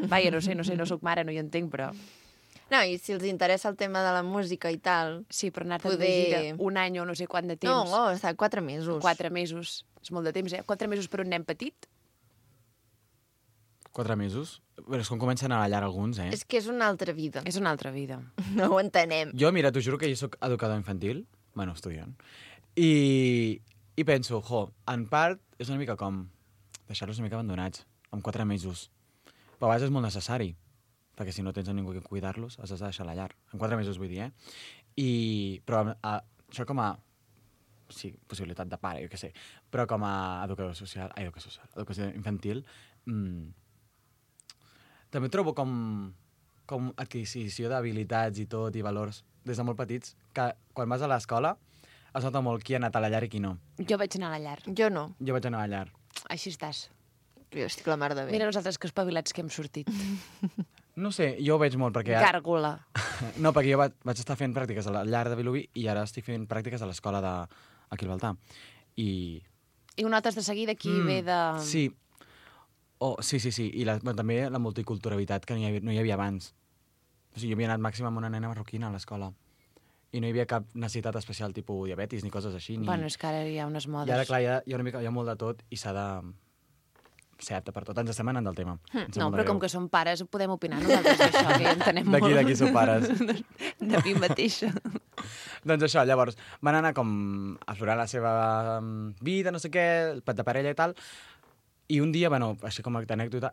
Vaja, no sé, no sóc mare, no hi entenc, però... No, i si els interessa el tema de la música i tal... Sí, però anar-te'n de Poder- gira un any o no sé quant de temps. No, està 4 mesos. 4 mesos. És molt de temps, 4 mesos per un nen petit? 4 mesos? Però és com comencen a ballar alguns, És que és una altra vida. És una altra vida. No ho entenem. Jo, mira, t'ho juro que jo sóc educador infantil, bueno, estudiant, i penso, en part és una mica com deixar-los una mica abandonats, amb 4 mesos. Però a vegades és molt necessari, perquè si no tens a ningú que cuidar-los, has de deixar a la llar. En 4 mesos, vull dir, Però això com a... Sí, possibilitat de pare, jo què sé. Però com a educació infantil, també trobo com adquisició d'habilitats i tot, i valors, des de molt petits, que quan vas a l'escola es nota molt qui ha anat a la llar i qui no. Jo vaig anar a la llar. Jo no. Jo vaig anar a la llar. Així estàs. Jo estic la mar de bé. Mira nosaltres que espavilats que hem sortit. No sé, jo ho veig molt perquè... Gàrgola. No, perquè jo vaig estar fent pràctiques a la llar de Vilobí i ara estic fent pràctiques a l'escola aquí al Baltà. I I ho notes de seguida qui ve de... Sí. Sí. I també la multiculturalitat que no hi havia abans. O sigui, jo havia anat màxim amb una nena marroquina a l'escola. I no hi havia cap necessitat especial, tipus diabetis ni coses així. Ni... Bueno, és que ara hi ha unes modes. I ara, clar, hi ha molt de tot i s'ha de ser apte per tot. Ens estem anant del tema. No, però com que som pares, podem opinar nosaltres d'això, que ja entenem molt. D'aquí sou pares. De mi mateixa. Doncs això, llavors, van anar com a aflorar la seva vida, no sé què, el pet de parella i tal, i un dia, bueno, així com a anècdota,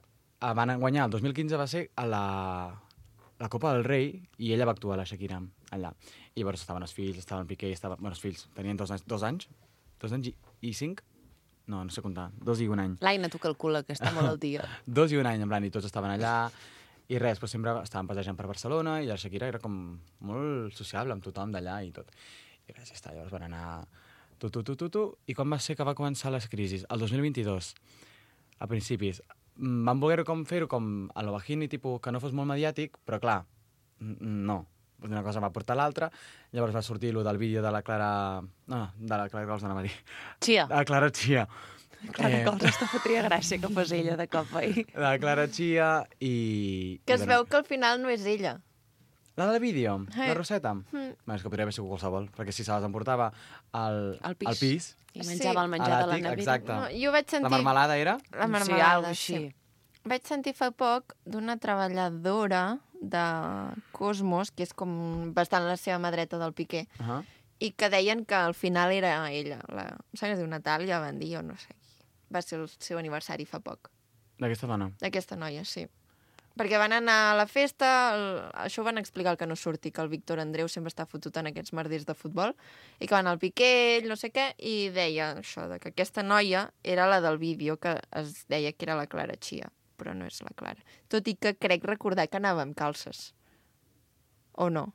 van guanyar, el 2015 va ser a la Copa del Rei, i ella va actuar, la Shakira, allà. I llavors estaven els fills, estaven Piqué, bueno, els fills tenien 2 anys i 5? No sé comptar, 2 i 1 any. L'Aina, tu calcula, que està molt al dia. 2 i 1 any, en plan, i tots estaven allà, i res, però sempre estaven passejant per Barcelona, i la Shakira era com molt sociable amb tothom d'allà i tot. I res, ja està, llavors van anar i quan va ser que va començar les crisis? El 2022, a principis. Van voler com fer-ho com a lo bajini, tipus, que no fos molt mediàtic, però clar, no. Una cosa va portar l'altra, llavors va sortir lo del vídeo de la Clara... No, de la Clara Cols, anava a dir. Chia. De la Clara Chia. Clara Cols, aquesta fotria gràcia que fos ella de cop ahir. De la Clara Chia i... Que es veu que al final no és ella. La del vídeo? La Roseta? Bé, és que podria haver sigut qualsevol, perquè si se les emportava al pis I menjava el menjar de la nevera. exacte. No, jo vaig sentir... La marmelada era? La Sí, marmelada, alguna així. Vaig sentir fa poc d'una treballadora de Cosmos, que és com bastant la seva mà dreta del Piqué, i que deien que al final era ella. Em sembla que es diu Natàlia, van dir, o no sé. Va ser el seu aniversari fa poc. D'aquesta dona? D'aquesta noia, sí. Perquè van anar a la festa, això ho van explicar el que no surti, que el Víctor Andreu sempre està fotut en aquests merders de futbol, i que van al Piqué, ell no sé què, i deia això, de que aquesta noia era la del vídeo, que es deia que era la Clara Chia, però no és la Clara. Tot i que crec recordar que anava amb calces. O no?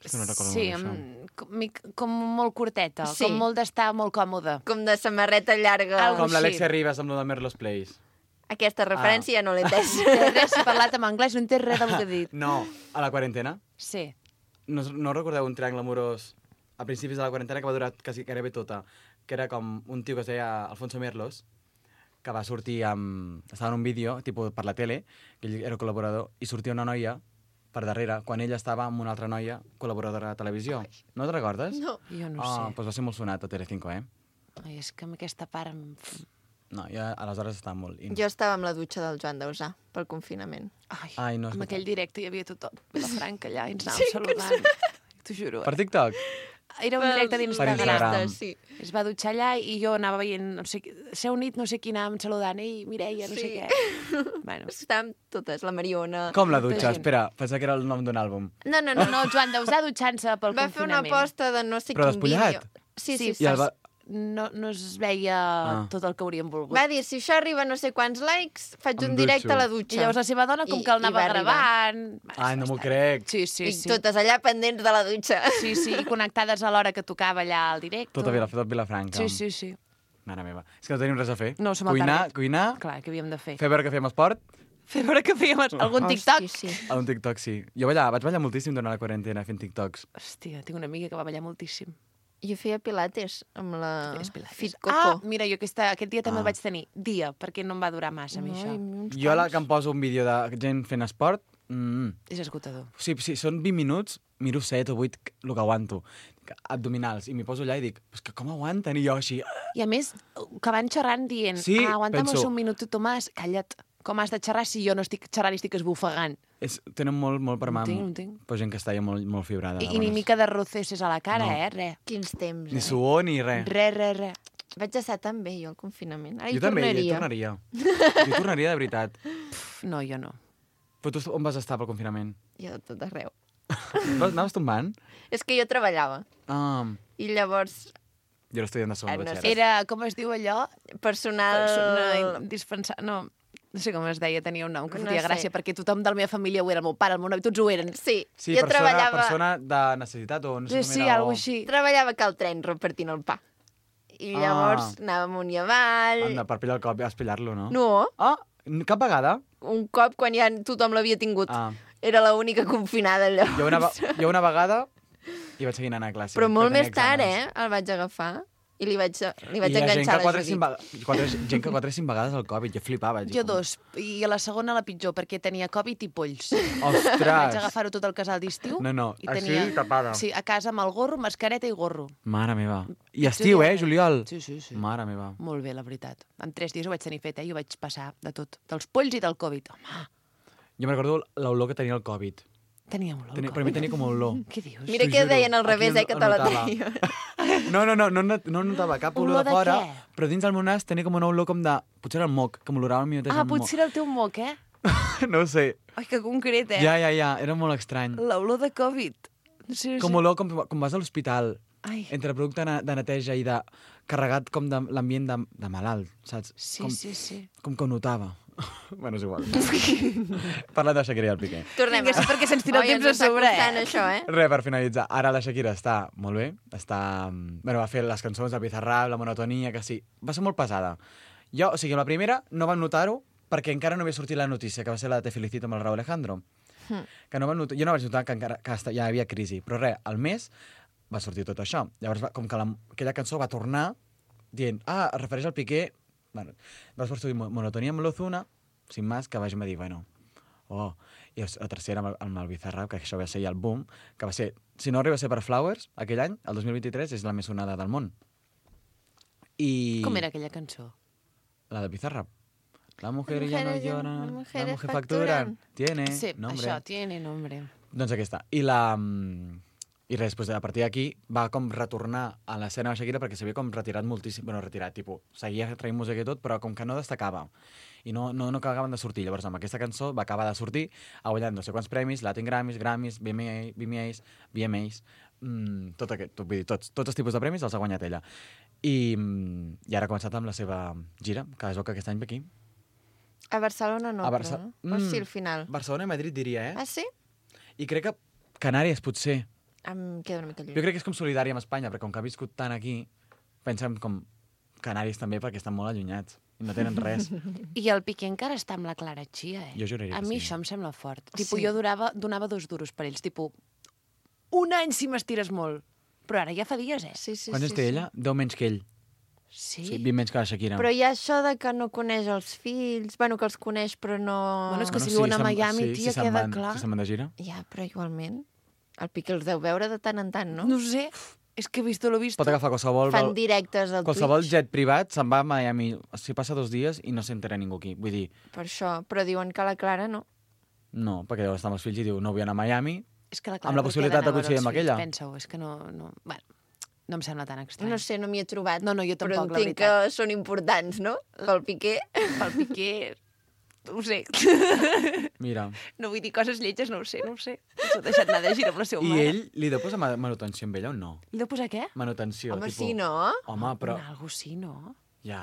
És que no recordo Sí, molt això. com molt curteta, Sí. com molt d'estar molt còmode. Com de samarreta llarga. Algo Com l'Alexia així. Ribas amb lo de Merlo's Place. Aquesta referència ja no l'he entès. Res, he parlat en anglès, no he entès res del que he dit. No, a la quarantena. Sí. No recordeu un triangle amorós a principis de la quarantena que va durar quasi gairebé tota, que era com un tio que es deia Alfonso Merlos, que va sortir amb... Estava en un vídeo, tipus per la tele, que ell era col·laborador, i sortia una noia per darrere, quan ella estava amb una altra noia col·laboradora de televisió. No te'n recordes? No. Jo no Ah, sé. doncs va ser molt sonat a Telecinco, eh? Ai, és que amb aquesta part... No, jo aleshores estava molt... Jo estava amb la dutxa del Joan Dausà pel confinament. Ai, no, és amb veritat. aquell directe hi havia tothom, la Franca allà, i ens anàvem saludant. T'ho juro. Per TikTok? Era un directe Per d'Instagram. Instagram. Sí. Es va dutxar allà i jo anava veient, no sé, s'ha unit no sé qui anàvem saludant, ei, Mireia, no sé Sí. què. Bueno. Estàvem totes, la Mariona... Com la Molta dutxa? gent. Espera, pensava que era el nom d'un àlbum. No, no, No, no. no, Joan Dausà dutxant-se pel Va fer una confinament. aposta de no sé Però quin despullat? vídeo. Sí, Sí, sí, I el va... No es veia tot el que hauríem volgut. Va dir, si això arriba a no sé quants likes, faig Em un directe dutxo. a la I dutxa. llavors la seva dona com I- que el i anava va arribar. gravant... Ai, no m'ho crec. Sí, sí, I sí. totes allà pendents de la dutxa. Sí, sí, i connectades a l'hora que tocava allà al directe. Tot Vilafranca. Sí, sí, sí. Mare meva. És que no tenim res a fer. No, som al Cuinar, target. cuinar, Clar, què havíem de fer? fer veure que fem esport. Fer veure que fèiem algun TikTok. Hosti, sí. A un TikTok, sí. Jo vaig ballar moltíssim durant la quarantena fent TikToks. Hòstia, tinc una amiga que va ballar moltíssim. Jo feia pilates amb la Feies pilates. Fit Ah, Coco. mira, jo aquest dia també el vaig tenir. Dia, perquè no em va durar massa, a mi, això. Jo la que em poso un vídeo de gent fent esport, És esgotador. sí, són 20 minuts, miro 7 o 8 el que aguanto. Abdominals, i m'hi poso allà i dic, pues que com aguanten? I jo així... I a més, que van xerrant dient, Sí, aguantamos penso- un minuto, Tomàs, calla't. Com has de xerrar si jo no estic xerrant i estic esbufegant? Tenen molt per mà. No tinc. Però gent que està ja molt fibrada. I ni mica de roceses a la cara, No. Res. Quins temps, Ni suor ni res. Res. Vaig estar tan bé, jo, al confinament. Ara Jo hi també, tornaria. jo tornaria de veritat. No, jo no. Però tu on vas estar pel confinament? Jo, tot arreu. Anaves tombant? És que jo treballava. Ah, I llavors, jo era estudiant de segon no batxillerat. sé. Era, com es diu allò? personal... Indispensable... No sé com es deia, tenia un nom que No fotia sé. gràcia, perquè tothom de la meva família ho era, el meu pare, el meu nòvio, tots ho eren. Sí, Sí, jo persona de necessitat o no sé Sí, com era. alguna així. treballava a Cal Tren repartint el pa. I llavors anava amunt i avall... Anda, per pillar el cop, vas pillar-lo, no? No, Ah, cap vegada? un cop quan ja tothom l'havia tingut. Ah. Era l'única confinada allò. Jo una vegada i vaig seguir anant a classe. Però molt que tenia més tard, exàmens. El vaig agafar i li vaig I hi ha gent enganxar que la 4 Judit. gent que 4 o 5 vegades el Covid, jo flipava. dic, Jo 2, i a la segona la pitjor, perquè tenia Covid i polls. Vaig Ostres! agafar-ho tot el casal d'estiu. No, i així, tenia... tapada. Sí, a casa amb el gorro, mascareta i gorro. Mare meva. I estiu, juliol? Sí, sí, sí. Mare meva. Molt bé, la veritat. En 3 dies ho vaig tenir fet, i ho vaig passar de tot. Dels polls i del Covid. Home, Jo me'n recordo l'olor que tenia el Covid. teníem olor. Per mi tenia com olor. Què dius? Mira T'ho que juro. deien al Aquí revés, el que te la notava. deia. No notava cap olor Olor de de fora, què? però dins del meu nas tenia com una olor com de... Potser era el moc, que m'olorava a mi mateix Ah, el moc. potser era el teu moc, eh? No ho sé. Ai, que concret, eh? Ja, era molt estrany. L'olor de Covid. Sí, Com olor com vas a l'hospital, Ai, entre producte de neteja i de carregat com de l'ambient de malalt, saps? sí, com, sí. Com que ho notava. Bueno, és igual. Parlant de Shakira i el Piqué. Tornem. Vinga, sí, perquè se'ns tira el temps a sobre, costant, eh? això, eh? Res, per finalitzar. Ara la Shakira està molt bé. Està... Bueno, va fer les cançons de Bizarrap, la monotonia, que sí. Va ser molt pesada. Jo, o sigui, la primera no vam notar-ho perquè encara no havia sortit la notícia, que va ser la de Te felicito amb el Raúl Alejandro. Que no vam notar, jo no vaig notar que encara ja hi havia crisi. Però res, al mes va sortir tot això. Llavors, com que aquella cançó va tornar dient, es refereix al Piqué. Bueno, va sortir monotonia amb l'Ozuna, sin más, que vagin a dir, bueno, i la tercera amb el Bizarrap, que això va ser ja el boom, que va ser, si no arriba a ser per Flowers, aquell any, el 2023, és la més sonada del món. I... Com era aquella cançó? La de Bizarrap. La mujer ya no mujeres ya- llora, las la mujeres mujer facturan. facturan. Tiene Sí, nombre. això, tiene nombre. Doncs aquesta. I res, després, a partir d'aquí, va com retornar a l'escena de Shakira perquè s'havia com retirat moltíssim. Bueno, retirat, tipus, seguia traient música i tot, però com que no destacava. I no acabaven de sortir. Llavors, amb aquesta cançó va acabar de sortir, ha guanyat no sé quants premis, Latin Grammys, VMAs, tot aquest, vull dir, tots els tipus de premis els ha guanyat ella. I ara ha començat amb la seva gira, que es veu que aquest any ve aquí. A Barcelona no, A Barça- però... O sí, al final. Barcelona i Madrid, diria, Ah, sí? I crec que Canàries, potser. Em queda una mica lluny. Jo crec que és com solidària amb Espanya, perquè com que ha viscut tant aquí, pensem com Canàries també, perquè estan molt allunyats i no tenen res. I el Piqué encara està amb la Clara Chia, eh? Jo juraria A que mi sí. això em sembla fort. Tipo, Sí. jo donava 2 duros per ells, tipo, un any si m'estires molt. Però ara ja fa dies, eh? Sí, sí, Quants anys té ella? 10 menys que ell. Sí? Sí, 20 menys que la Shakira. Però hi ha això de que no coneix els fills, bueno, que els coneix però no... Bueno, és que si viuen a Miami, tia, se'n queda van, clar. Si se'n van de gira. Ja, però igualment, el Piqué els deu veure de tant en tant, no? No sé, és que he visto lo visto. Pot agafar qualsevol... Fan directes al Qualsevol Twitch. jet privat se'n va a Miami. Si passa 2 dies i no s'entera ningú aquí. Vull dir, Per això, però diuen que la Clara no. no, perquè deu estar amb els fills i diu no vull anar a Miami. És que la amb la possibilitat de coincidir amb aquella. Pensa-ho, és que no... Bueno, no em sembla tan estrany. No sé, no m'hi he trobat. No, jo però tampoc, la entenc veritat. que són importants, no? Pel Piqué. Pel Piqué... No ho sé. Mira. No vull dir coses lletges, no ho sé. S'ho ha deixat anar de gira amb la seva I mare. ell li deu posar manutenció amb ella o no? Li deu posar què? Manutenció. Home, tipus... sí, no? Home, però... Algo sí, no? Ja.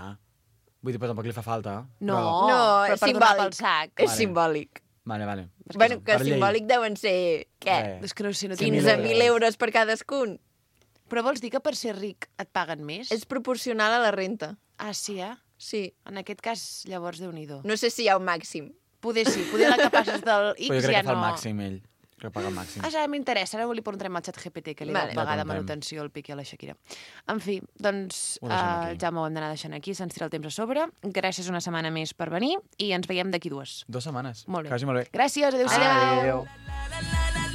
Vull dir, però tampoc li fa falta. No, Però... No, però és per donar pel simbòlic. sac. És Vale. simbòlic. Vale. Bueno, que Per llei. simbòlic deuen ser, què? És que no sé, no 15.000 euros per cadascun. Però vols dir que per ser ric et paguen més? És proporcional a la renta. Ah, sí, eh? Sí. En aquest cas, llavors, Déu-n'hi-do. No sé si hi ha un màxim. Poder sí, poder la que passes del X Però jo crec ja que fa no... el màxim, ell. Crec que paga el màxim. Ah, ja m'interessa. Ara li preguntarem al xat GPT que li Vale. va pagar de Ja preguntem. manutenció al Piqué i a la Shakira. En fi, doncs, Ho deixem aquí. Jaume, ho hem d'anar deixant aquí, se'ns tira el temps a sobre. Gràcies una setmana més per venir i ens veiem d'aquí 2. 2 setmanes. Molt bé. Quasi molt bé. Gràcies, adéu-siau. Adéu.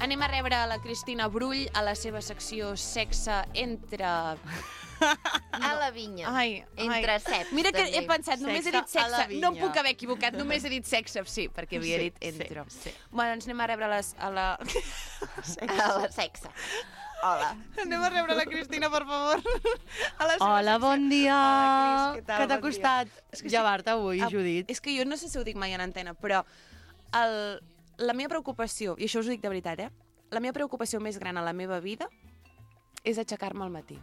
Anem a rebre a la Cristina Brull a la seva secció Sexe entre... A la vinya. Ai, Entre ceps, Mira que també. he pensat, només he dit Sexe a la sexe. No em vinya. puc haver equivocat, només he dit sexe, sí, perquè havia dit entre. Sí. Bueno, ens anem a rebre a la... A la sexe. Hola. Anem a rebre la Cristina, per favor. A la seva Hola, secció. bon dia. Hola, Cris, què tal? Què t'ha Bon dia. costat És que llevar-te avui, Ah, Judit? És que jo no sé si ho dic mai en antena, però la meva preocupació, i això us ho dic de veritat, la meva preocupació més gran a la meva vida és aixecar-me al matí.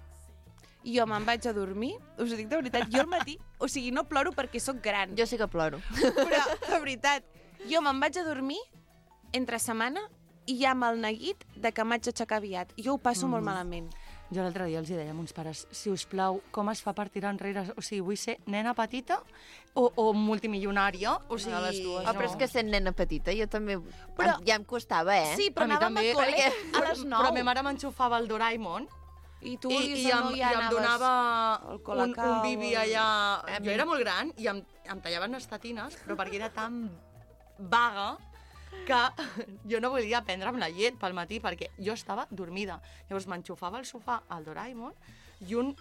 Jo me'n vaig a dormir, us ho dic de veritat, jo al matí, o sigui, no ploro perquè sóc gran, Jo sí que ploro. però de veritat, jo me'n vaig a dormir entre setmana i ja amb el neguit de que m'haig d'aixecar aviat. Jo ho passo molt malament. Jo l'altre dia els hi deia a mons pares, si us plau, com es fa per tirar enrere? O sigui, vull ser nena petita o multimilionària? O sigui, de les dues, Oh, però és que sent nena petita, jo també... Però- ja em costava, eh? Sí, però A mi anàvem també, a col·le perquè- a les 9. Però ma mare m'enxufava el Doraemon I tu i ja em, no i ja em anaves donava al un Colacao, bibi al- allà... Jo era molt gran i em tallaven les tetines, però perquè era tan vaga que jo no volia prendre'm la llet pel matí perquè jo estava dormida. Llavors m'enxufava al sofà al Doraemon i un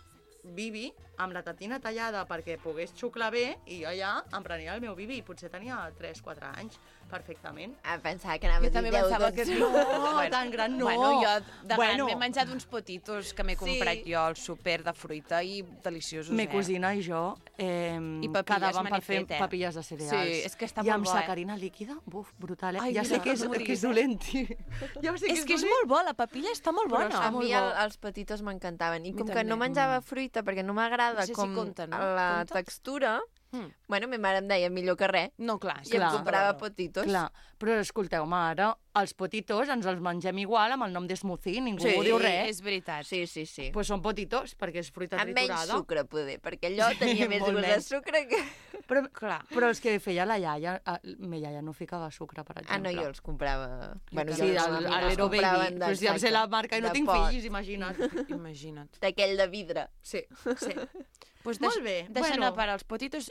bibi amb la tetina tallada perquè pogués xuclar bé i jo ja em prenia el meu bibi. Potser tenia 3-4 anys, perfectament. Ah, pensava que anava Jo a dir també 10, pensava 12. que No, tan gran no. Bueno, jo de gran Bueno. m'he menjat uns potitos que m'he comprat Sí. jo al súper de fruita i deliciosos, Me cosina i jo papilles quedàvem me per n'he fer fet, papilles de cereals. Sí, és que està I molt amb bo, sacarina líquida, buf, brutal, eh? Ai, ja mira, sé que és, no m'ho que és diguis, dolent, ja sé És que és molt bo, la papilla està molt Però bona. està A molt mi bo. els petitos m'encantaven. I mi com que també. no menjava fruita perquè no m'agrada No sé si com compta, no? la Compta? textura, Mm. bueno, ma mare em deia millor que res. No, clar. I em Clar. comprava potitos. Clar, però escolteu-me, ara els potitos ens els mengem igual amb el nom d'esmoothie, ningú Sí, diu res. És veritat. Sí, sí, sí. Pues són potitos, perquè és fruita Amb menys triturada. sucre, poder, perquè allò tenia més molt gust de menys. sucre que... Però, Clar. però els que feia la iaia, ma iaia no ficava sucre, per Ah, no, exemple. jo els comprava... Bueno, Sí, jo el els Lero compraven Baby. Però si ja em sé la marca i no de tinc pot, fills, imagina't. Imagina't. D'aquell de vidre. Sí, sí. Pues Molt bé, Deixant bueno. a part els potitos,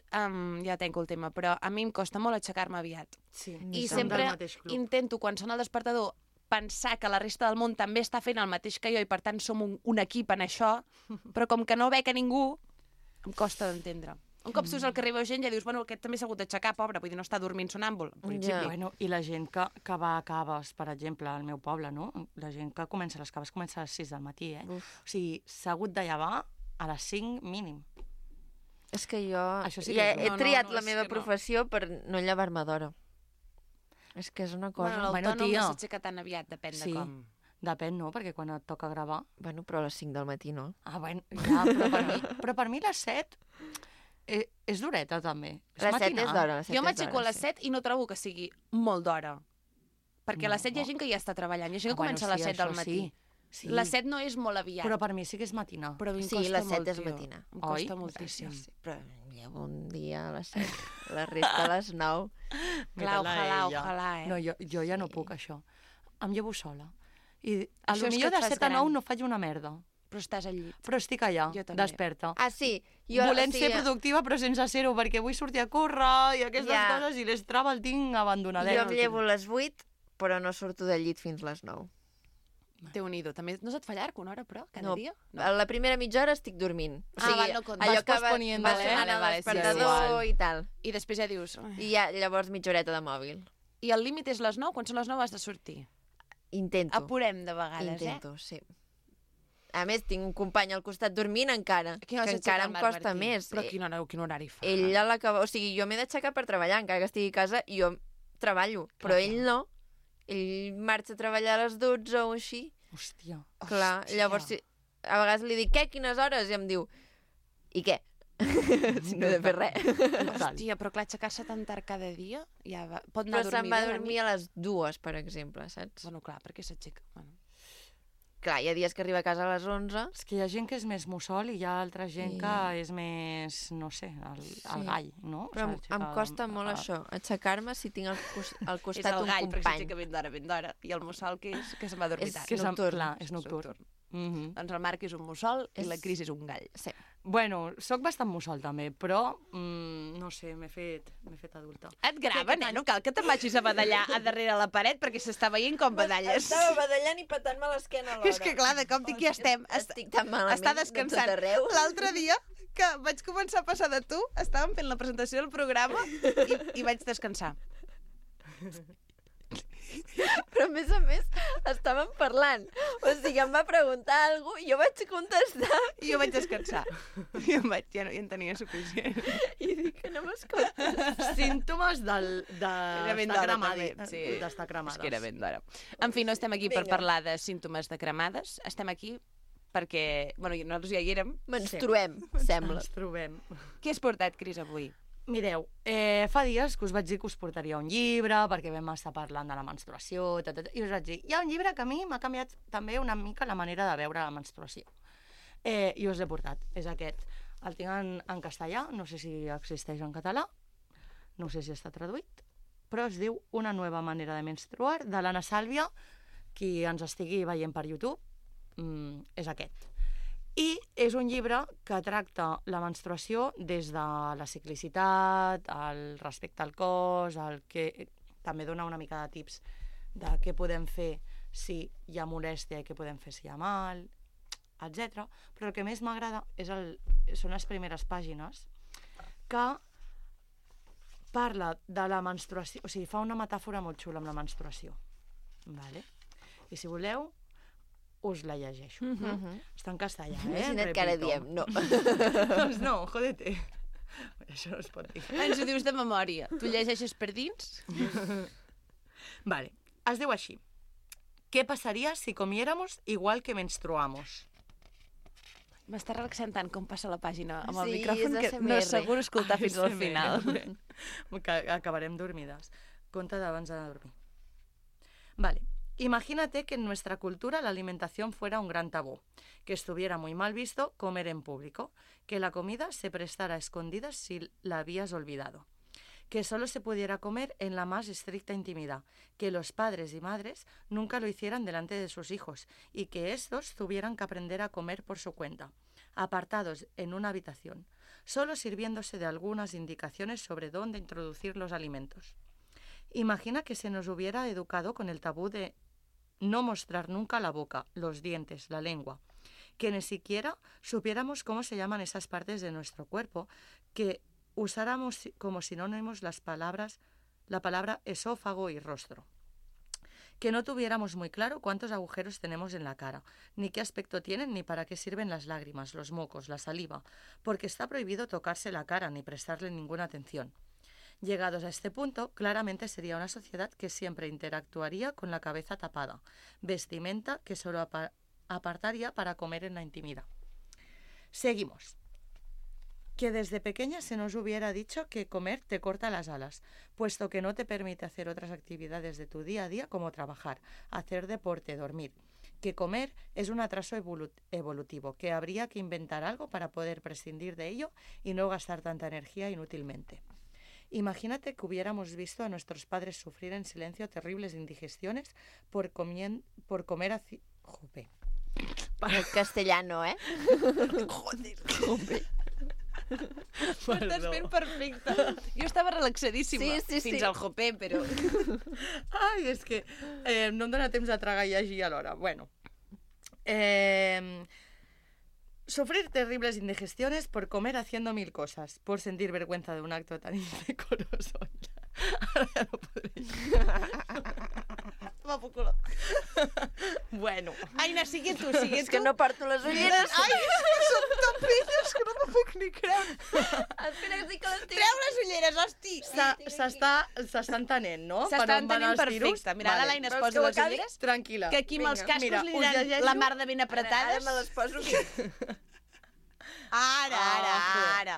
ja tanco el tema, però a mi em costa molt aixecar-me aviat. Sí, I som sempre del mateix club. intento, quan sona el despertador, pensar que la resta del món també està fent el mateix que jo i, per tant, som un equip en això, però com que no veig a ningú, em costa d'entendre. Un cop surts al carrer i veus gent, ja dius, bueno, aquest també s'ha hagut d'aixecar, pobre, vull dir, no està dormint sonàmbul, en principi. Ja. Bueno, i la gent que va a caves, per exemple, al meu poble, no? La gent que comença les caves comença a les 6 del matí, eh? O sigui, s'ha hagut de llevar a les 5 mínim. És que jo Això sí que ja és dur. he No, triat no, la és meva que no. professió per no llevar-me d'hora. És que és una cosa... Bueno, Bueno, l'autònom tia. no s'aixeca tan aviat, depèn de com. Depèn, no? Perquè quan et toca gravar... Bueno, però a les 5 del matí no. Ah, bueno, ja, però per mi les 7 és d'horeta, també. Les 7 és d'hora. Jo m'aixeco a les 7 i no trobo que sigui molt d'hora. Perquè a les 7 hi ha gent que ja està treballant, hi ha gent que comença a les 7 del matí. Sí. Les 7 no és molt aviat. Però per mi sí que és matinar. Però a mi em Sí, costa les 7 molt, és tio. matina. Em costa Oi? moltíssim. Sí, però llevo un dia a les 7, la resta a les 9. Clar, ojalà, No, jo ja no puc, això. Em llevo sola. I Això és potser que et de fas 7 a gran. 9 no faig una merda. Però estàs al llit. Però estic allà, Jo també. desperta. Ah, sí. Volent ser productiva, però sense ser-ho, perquè vull sortir a córrer i aquestes Ja. coses, i l'estrava el tinc abandonadet. Jo em llevo a les 8, però no surto del llit fins les 9. Déu-n'hi-do. També no se't fa llarg una hora, però, cada No, dia? a la primera mitja hora estic dormint. no compta. allò Vas que posponiendo, va eh? sonant Vale, el sí, despertador igual. i tal. I després ja dius... "Ai". I ja, llavors mitja horeta de mòbil. I el límit és les 9? Quan són les 9 has de sortir. Intento. Apurem de vegades, Intento, sí. A més, tinc un company al costat dormint encara, A quina hora que s'aixeca encara el em Marc costa Martí? més. Però quin horari fa? Ell a l'acabar... O sigui, jo m'he d'aixecar per treballar, encara que estigui a casa, i jo treballo. Però ell no. Ell marxa a treballar a les 12 o així. Hòstia. Clar, Hòstia. llavors a vegades li dic, què, quines hores? I em diu, i què? Si no he de fer res. Hòstia, però clar, aixecar-se tan tard cada dia ja va... pot anar Però a se'n dormir va bé a la dormir nit? a les 2, per exemple, saps? Bueno, clar, perquè s'aixeca. Bueno. Clar, hi ha dies que arriba a casa a les 11. És que hi ha gent que és més mussol i hi ha altra gent que és més, no sé, el gall, no? Però em costa molt això, aixecar-me si tinc al És costat el un gall, perquè company. s'aixeca ben d'hora. I el mussol, que és? Que se'n va a dormir És tard. Que és nocturn. clar, és nocturn. Doncs el Marc és un mussol i És- la Cris és un gall. Sí. Bueno, sóc bastant mussol també, però no sé, m'he fet adulta. Et grava, neno? Cal que te'n vagis a badallar a darrere la paret perquè s'està veient com badalles. Estava badallant i patant-me l'esquena alhora. És que clar, de cop dic ja estem. Estic tan malament Està de descansant. tot arreu. L'altre dia que vaig començar a passar de tu, estàvem fent la presentació del programa i vaig descansar. Però a més, estàvem parlant. O sigui, em va preguntar alguna cosa i jo vaig contestar I jo vaig descansar. I ja en tenia suficient. i dic que no m'escoltes. Símptomes Era ben d'estar d'hora, cremades. també, sí. D'estar cremades. És que era ben d'hora. En fi, no estem aquí per parlar de símptomes de cremades. Estem aquí perquè... Bueno, nosaltres ja hi érem. Menstruem, sembla. Ens trobem. Què has portat, Cris, avui? Mireu, fa dies que us vaig dir que us portaria un llibre, perquè vam estar parlant de la menstruació, i us vaig dir, hi ha un llibre que a mi m'ha canviat també una mica la manera de veure la menstruació. I us l'he portat, és aquest. El tinc en castellà, no sé si existeix en català, no sé si està traduït, però es diu Una nueva manera de menstruar, de l'Anna Sàlvia, qui ens estigui veient per YouTube, és aquest. I és un llibre que tracta la menstruació des de la ciclicitat, el respecte al cos, també dona una mica de tips de què podem fer si hi ha molèstia i què podem fer si hi ha mal, etc. Però el que més m'agrada són les primeres pàgines que parla de la menstruació, o sigui, fa una metàfora molt xula amb la menstruació. Vale? I si voleu, us la llegeixo. Està en castellà, Imagina't que ara Repito. diem, no. Doncs no, jódete. Això no es pot dir. Ens ho dius de memòria. Tu llegeixes per dins? Vale, es diu així. ¿Qué pasaría si comiéramos igual que menstruamos? M'està relaxant tant com passa la pàgina amb el Sí, micròfon és que no és ASMR. segur escoltar fins al ASMR. final. Que acabarem dormides. Conta d'abans de dormir. Vale. Imagínate que en nuestra cultura la alimentación fuera un gran tabú, que estuviera muy mal visto comer en público, que la comida se prestara a escondidas si la habías olvidado, que solo se pudiera comer en la más estricta intimidad, que los padres y madres nunca lo hicieran delante de sus hijos y que estos tuvieran que aprender a comer por su cuenta, apartados en una habitación, solo sirviéndose de algunas indicaciones sobre dónde introducir los alimentos. Imagina que se nos hubiera educado con el tabú de no mostrar nunca la boca, los dientes, la lengua, que ni siquiera supiéramos cómo se llaman esas partes de nuestro cuerpo, que usáramos como sinónimos la palabra esófago y rostro, que no tuviéramos muy claro cuántos agujeros tenemos en la cara, ni qué aspecto tienen ni para qué sirven las lágrimas, los mocos, la saliva, porque está prohibido tocarse la cara ni prestarle ninguna atención. Llegados a este punto, claramente sería una sociedad que siempre interactuaría con la cabeza tapada, vestimenta que solo apartaría para comer en la intimidad. Seguimos. Que desde pequeña se nos hubiera dicho que comer te corta las alas, puesto que no te permite hacer otras actividades de tu día a día como trabajar, hacer deporte, dormir. Que comer es un atraso evolutivo, que habría que inventar algo para poder prescindir de ello y no gastar tanta energía inútilmente. Imagínate que hubiéramos visto a nuestros padres sufrir en silencio terribles indigestiones por comer así... Jope. El castellano, eh? Jope. Ho estàs fent perfecte. Jo estava relaxadíssima fins al jopé, però... Ai, és que no em dóna temps de tragar i llegir alhora. Bueno. Sufrir terribles indigestiones por comer haciendo 1000 cosas, por sentir vergüenza de un acto tan indecoroso. Ara ja no podré. Va por culo. Bueno. Aina, sigue tu, sigue tu. És que no porto les ulleres. Ai, és que són tan velles que no m'ho puc ni creure. Espera, que sí que les tinc. Treu les ulleres, hosti. S'està entenent, no? S'està entenent perfecte. Mira, ara l'Aina es posa les ulleres. Tranquil·la. Que aquí amb els cascos mira, li diran la mar de ben apretades. Ara me les poso aquí. Ara.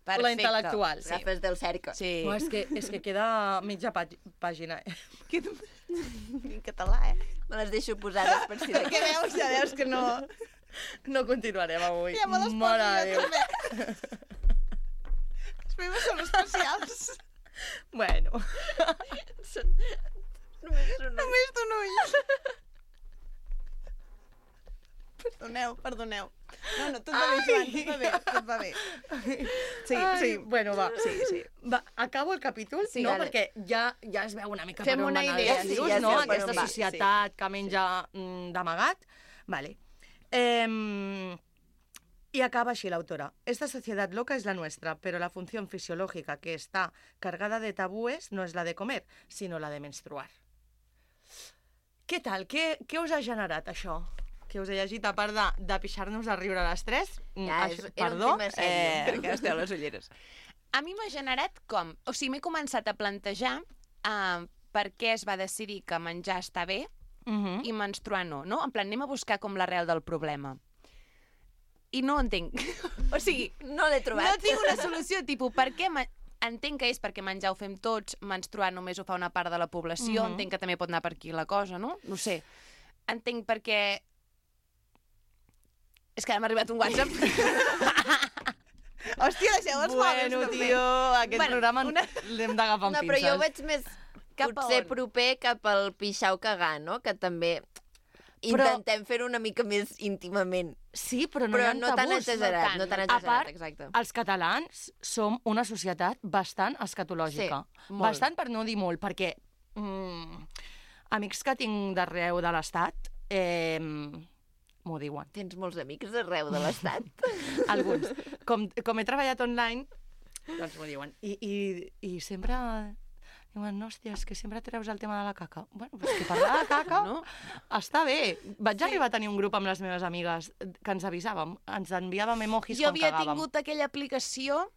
Perfecte. La intel·lectual. Sí. Gafes del cercle. Sí. No, és que queda mitja pàgina. En català, Me les deixo posades per si de Perquè ja veus que no... No continuarem avui. Ja me les poso Mare de jo Déu. també. Els meus són especials. Bueno. Només d'un ull. Perdoneu. No, tot va bé, Joan, tot va bé. Sí. Bueno, va. Sí. Va, acabo el capítol, Sí, no? vale. Perquè ja es veu una mica Fem per on una van idea, els sí, tiros, ja no? sé per Aquesta on va, societat que menja d'amagat. Vale. Y acaba así la autora. Esta sociedad loca es la nuestra, pero la función fisiológica que está cargada de tabúes no es la de comer, sino la de menstruar. Què tal? Què us ha generat això? Que us he llegit, a part de pixar-nos a riure a les 3. Ja, era un tema seriós. Crec que esteu les ulleres. A mi m'ha generat com... O sigui, m'he començat a plantejar per què es va decidir que menjar està bé i menstruar no. En plan, anem a buscar com l'arrel del problema. I no entenc. O sigui, no l'he trobat. No tinc una solució, tipus, per què... Entenc que és perquè menjar ho fem tots, menstruar només ho fa una part de la població, entenc que també pot anar per aquí la cosa, no? No sé. Entenc perquè... És que ara m'ha arribat un WhatsApp. Hòstia, deixeu els mòbils, també. Tio, aquest programa l'hem d'agafar amb pinces. Però jo ho veig més potser proper cap al pixar o cagar, no? Que també intentem fer-ho una mica més íntimament. Sí, però no hi ha no tan tabús. exagerat, no tan A exagerat, part, exacte. els catalans som una societat bastant escatològica. Sí, molt. Bastant, per no dir molt, perquè amics que tinc d'arreu de l'Estat m'ho diuen. Tens molts amics arreu de l'Estat. Alguns. Com he treballat online, doncs m'ho diuen. I sempre diuen, no, hòstia, és que sempre treus el tema de la caca. Bueno, però és que parlar de caca està bé. Vaig arribar a tenir un grup amb les meves amigues que ens avisàvem, ens enviàvem emojis Jo quan havia cagàvem. tingut aquella aplicació,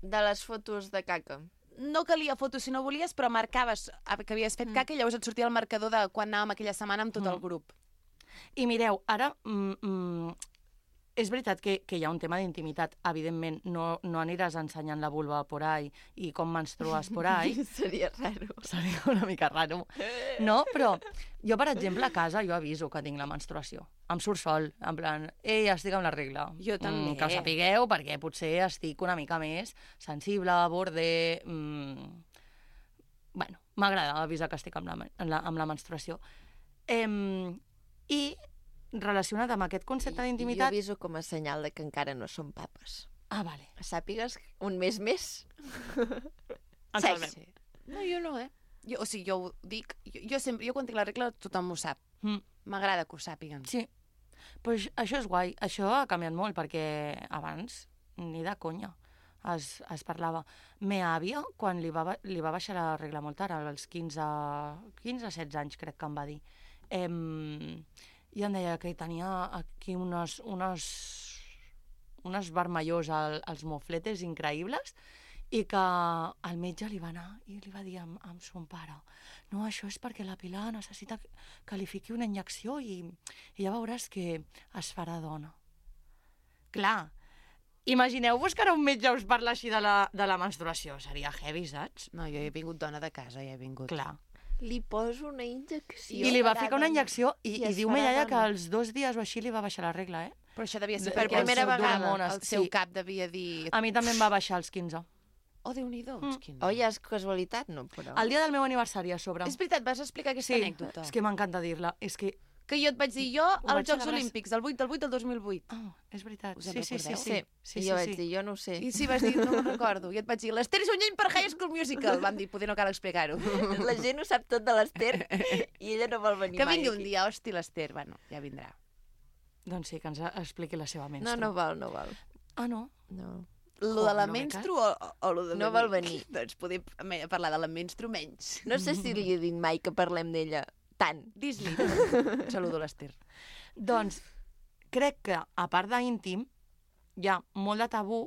De les fotos de caca. no calia fotos si no volies, però marcaves que havies fet caca i llavors et sortia el marcador de quan anàvem aquella setmana amb tot el grup. I mireu, ara és veritat que hi ha un tema d'intimitat. Evidentment, no aniràs ensenyant la vulva por ahí i com menstrues por ahí. Seria raro. Seria una mica raro. No, però jo, per exemple, a casa jo aviso que tinc la menstruació. Em surt sol, en plan, estic amb la regla. Jo també. Que ho sapigueu, perquè potser estic una mica més sensible, borde... Bueno, m'agrada avisar que estic amb la menstruació. I relacionat amb aquest concepte Jo d'intimitat... aviso com a senyal de que encara no som papes. Ah, vale. Sàpigues un mes més. Sí. No, jo no, o sigui, jo ho dic, jo quan tinc la regla tothom ho sap. M'agrada que ho sàpiguen. Sí. Pues això és guai. Això ha canviat molt, perquè abans ni de conya es parlava. Meva àvia, quan li va baixar la regla molt tard, als 15-16 anys, crec que em va dir, i em deia que tenia aquí unes vermellors als mofletes increïbles i que el metge li va anar i li va dir amb son pare no, això és perquè la Pilar necessita que li fiqui una injecció i ja veuràs que es farà dona. Clar, imagineu-vos que ara un metge us parla així de la menstruació. Seria heavy, saps? No, jo he vingut dona de casa, ja he vingut. Clar. Li poso una injecció. I li va ficar una injecció i diu ma iaia que als 2 dies o així li va baixar la regla, eh? Però això devia ser Per perquè primera vegada. el seu cap devia dir... A mi també em va baixar als 15. Oh, Déu-n'hi-do. Oh, ja és casualitat, no? Però... El dia del meu aniversari, a sobre. És veritat, vas explicar aquesta anècdota. És que m'encanta dir-la. És que... Que jo et vaig dir, jo als vaig Jocs celebrar- Olímpics, del 8 del 2008. Ah, és veritat. Us en Sí. I jo vaig dir, jo no ho sé. I sí, vas dir, no me'n recordo. I et vaig dir, l'Ester és un lleny per High School Musical. Vam dir, poder no cal explicar-ho. La gent ho sap tot de l'Ester i ella no vol venir Que mai vingui un aquí. dia, hosti, l'Ester. Bueno, ja vindrà. Doncs sí, que ens expliqui la seva menstru. No val. Ah, no? No. Lo de la no me menstru o lo de No vol venir. Doncs podem parlar de la menstru menys. No sé si li he dit mai que parlem d'ella tant. Dis-li. Saludo l'Ester. Doncs crec que, a part d'íntim, hi ha molt de tabú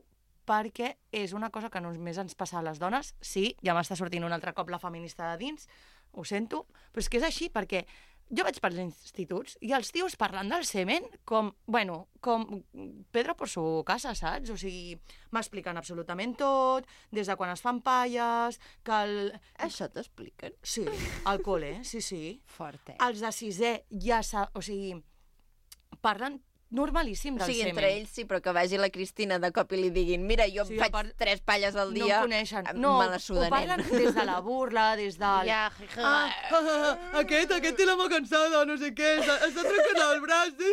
perquè és una cosa que només ens passa a les dones. Sí, ja m'està sortint un altre cop la feminista de dins, ho sento, però és que és així, perquè jo vaig pels instituts i els tios parlant del semen com Pedro por su casa, saps? O sigui, m'expliquen absolutament tot, des de quan es fan palles, que el... Això t'expliquen? Sí, al col·le, sí. Fort, eh? Els de sisè ja o sigui, parlen normalíssim O del sigui, semen. entre ells sí, però que vagi la Cristina de cop i li diguin mira, jo Sí, em faig a part- 3 palles al No dia, em coneixen. me No, la ho sudarem. parlen des de la burla, des del... Ja, Aquest té la mà cansada, no sé què, està trencant el braç.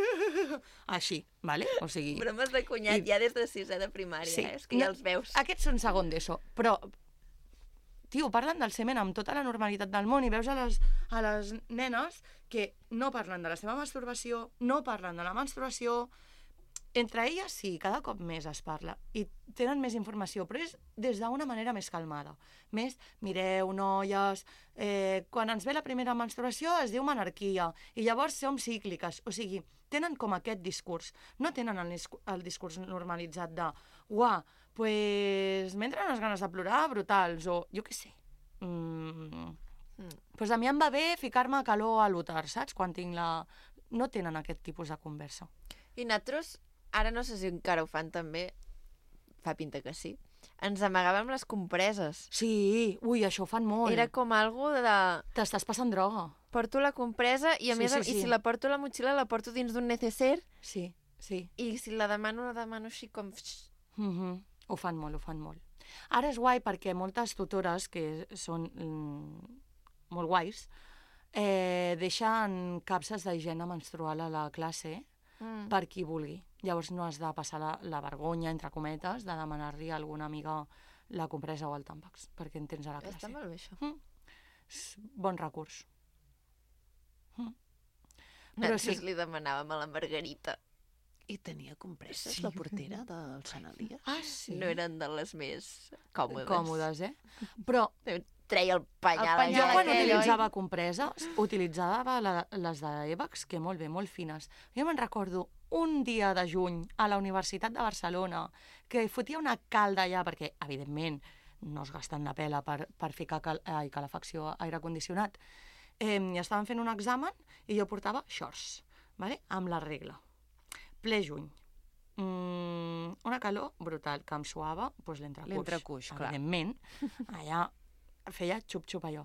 Així, vale? O sigui... Bromes de cunyat ja des de 6è de primària, és que ja els veus. Aquests són segon d'ESO, però tio, parlen del semen amb tota la normalitat del món i veus a les nenes que no parlen de la seva masturbació, no parlen de la menstruació. Entre elles sí, cada cop més es parla i tenen més informació, però és des d'una manera més calmada. Més, mireu, noies, quan ens ve la primera menstruació es diu menarquia i llavors som cícliques. O sigui, tenen com aquest discurs. No tenen el discurs normalitzat de uah, pues m'entren unes ganes de plorar brutals o jo què sé. Pues a mi em va bé ficar-me calor a l'úter, saps? Quan tinc la... No tenen aquest tipus de conversa. I nosaltres, ara no sé si encara ho fan també, fa pinta que sí, ens amagàvem les compreses. Sí, ui, això ho fan molt. Era com algo de... T'estàs passant droga. Porto la compresa i a més, sí. i si la porto a la motxilla la porto dins d'un neceser Sí. i si la demano així com... Ho fan molt. Ara és guai perquè moltes tutores, que són molt guais, deixen capses d'higiene menstrual a la classe per qui vulgui. Llavors no has de passar la vergonya, entre cometes, de demanar-li a alguna amiga la compresa o el tàmpax, perquè en tens a la classe. Està molt bé, això. És bon recurs. Nosaltres li demanàvem a la Margarita. I tenia compresses la portera del Sant Elias. Ah, sí? No eren de les més còmodes. Còmodes, Però treia el penyal. jo quan aquell, utilitzava compreses, utilitzava les d'Evax, que molt bé, molt fines. Jo me'n recordo un dia de juny a la Universitat de Barcelona que fotia una calda allà, perquè, evidentment, no es gasten la pela per ficar calefacció a aire condicionat. I estaven fent un examen i jo portava shorts, vale? Amb la regla. Ple juny. Una calor brutal, que em suava L'entrecuix, clar. evidentment. Allà feia xup-xup allò.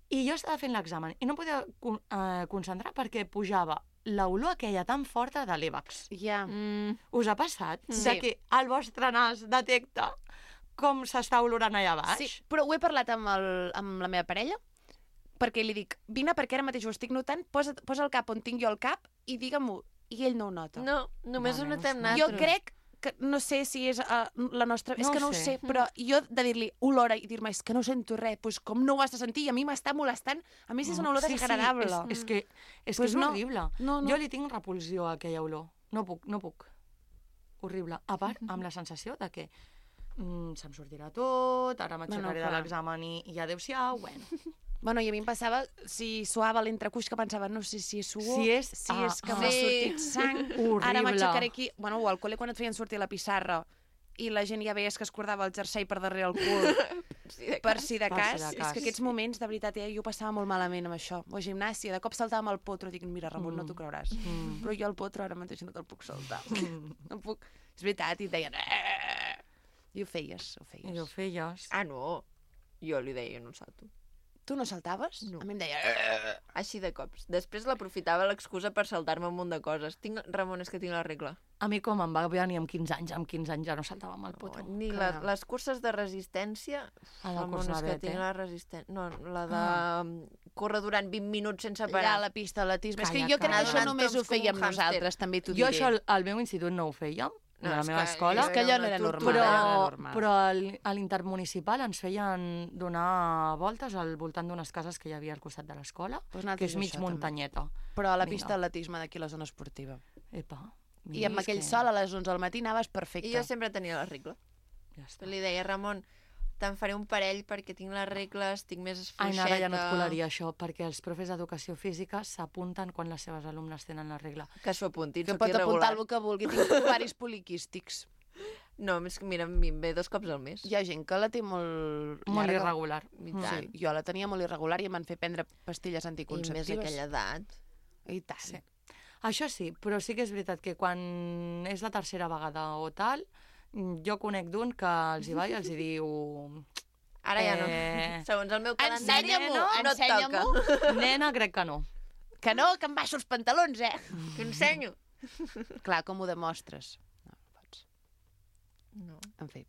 I jo estava fent l'examen i no em podia concentrar perquè pujava l'olor aquella tan forta de l'Evax. Ja. Us ha passat? Sí. De que el vostre nas detecta com s'està olorant allà baix? Sí, però ho he parlat amb la meva parella, perquè li dic, vine perquè ara mateix ho estic notant, posa el cap on tinc jo el cap i digue-m'ho. I ell no ho nota. No, només ho notem Jo nosaltres. crec que, no sé si és la nostra... és No que ho no ho sé. sé, però jo de dir-li olora i dir-me, és que no sento res, doncs com no ho has de sentir? I a mi m'està molestant. A mi si és una olor desagradable. És que és Pues no. horrible. No. Jo li tinc repulsió a aquella olor. No puc. Horrible. A part, amb la sensació de que se'm sortirà tot, ara m'aixecaré de clar. l'examen i adéu-siau, bueno. Bueno, i a mi em passava, si suava l'entrecuix, que pensava, no sé si és suor, Si és- que m'ha sí. sortit sang, Horrible. ara m'aixecaré aquí... Bueno, o al col·le quan et feien sortir a la pissarra i la gent ja veies que es cordava el jersei per darrere el cul, per si de cas. És que aquests moments, de veritat, jo passava molt malament amb això. O gimnàsia, de cop saltàvem al potro, dic, mira, Ramon, no t'ho creuràs. Però jo al potro ara mateix no te'l puc saltar. No puc. És veritat, i et deien... I ho feies. I ho feies. Ah, no. Jo li deia, no salto. Tu no saltaves? No. A mi em deia... Així de cops. Després l'aprofitava l'excusa per saltar-me un munt de coses. Ramon, és que tinc la regla. A mi com em va venir amb 15 anys, ja no saltava amb el potro. Ni les curses de resistència... Ramon, és que tinc la resistència... No, la de córrer durant 20 minuts sense parar. Ja, la pista d'atletisme. És que jo crec que això només ho fèiem nosaltres, també t'ho diré. Jo això al meu institut no ho fèiem, a la meva escola. És que allò no era normal. Però a l'intermunicipal ens feien donar voltes al voltant d'unes cases que hi havia al costat de l'escola, que és mig muntanyeta. Però a la pista d'atletisme d'aquí a la zona esportiva. Epa. I amb aquell sol a les 11 del matí anaves perfecte. I jo sempre tenia la regla. Ja està. Li deia, Ramon, te'n faré un parell perquè tinc les regles, tinc més fluixeta... Ai, ara ja no et colaria això, perquè els profes d'educació física s'apunten quan les seves alumnes tenen la regla. Que s'ho apuntin, que pot apuntar el que vulgui. Tinc ovaris poliquístics. No, és que mira, em ve 2 cops al mes. Hi ha gent que la té molt irregular. Sí, jo la tenia molt irregular i em van fer prendre pastilles anticonceptives. I més aquella edat. I tant. Sí. Això sí, però sí que és veritat que quan és la tercera vegada o tal, jo conec d'un que els hi va i els hi diu... Ara ja no. Segons el meu calendari no et toca. Nena, crec que no. Que no, que em baixo els pantalons, Que ensenyo. Clar, com ho demostres? No, no pots. No. En fi.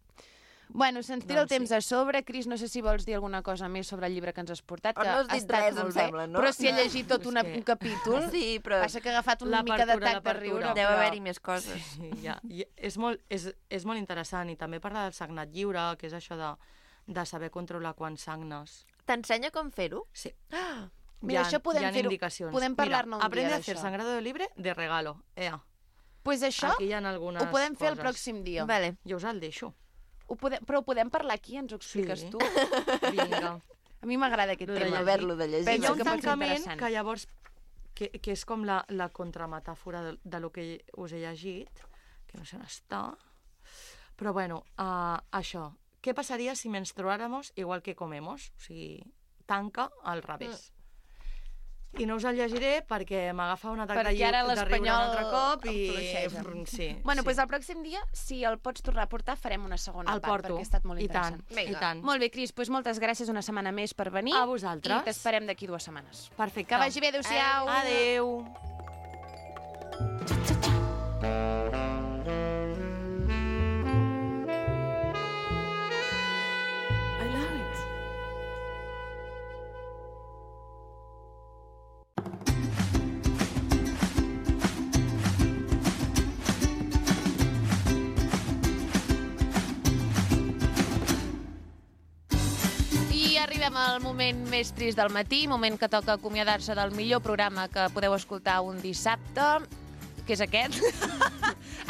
Bueno, se'ns tira el temps a sobre. Cris, no sé si vols dir alguna cosa més sobre el llibre que ens has portat, que no has dit res, em sembla, no? Però si he llegit tot un capítol, sí, però... passa que ha agafat una mica d'atac de riure. Deu haver-hi més coses. Sí, ja. És molt interessant, i també parla del sagnat lliure, que és això de saber controlar quants sagnes. T'ensenya com fer-ho? Sí. Mira, això podem fer-ho. Podem parlar-ne un dia d'això. Aprende a fer sangrado libre de regalo. Pues això ho podem fer el pròxim dia. Vale. Jo us el deixo. Però ho podem parlar aquí, ens ho expliques tu? Vinga. A mi m'agrada aquest tema. Haver-lo de llegir. Hi ha un tancament que llavors, que és com la contrametàfora de lo que us he llegit, que no sé on està, però bueno, això. Què passaria si menstruáramos igual que comemos? O sigui, tanca al revés. I no us el llegiré perquè m'agafa un atac de riure un altre cop i... Sí, bueno, doncs el pròxim dia, si el pots tornar a portar, farem una segona part, perquè ha estat molt interessant. I tant. Molt bé, Cris, doncs moltes gràcies una setmana més per venir. A vosaltres. I t'esperem d'aquí 2 setmanes. Perfecte. Que vagi bé, adéu-siau. Adéu. Arribem al moment més trist del matí, moment que toca acomiadar-se del millor programa que podeu escoltar un dissabte, que és aquest.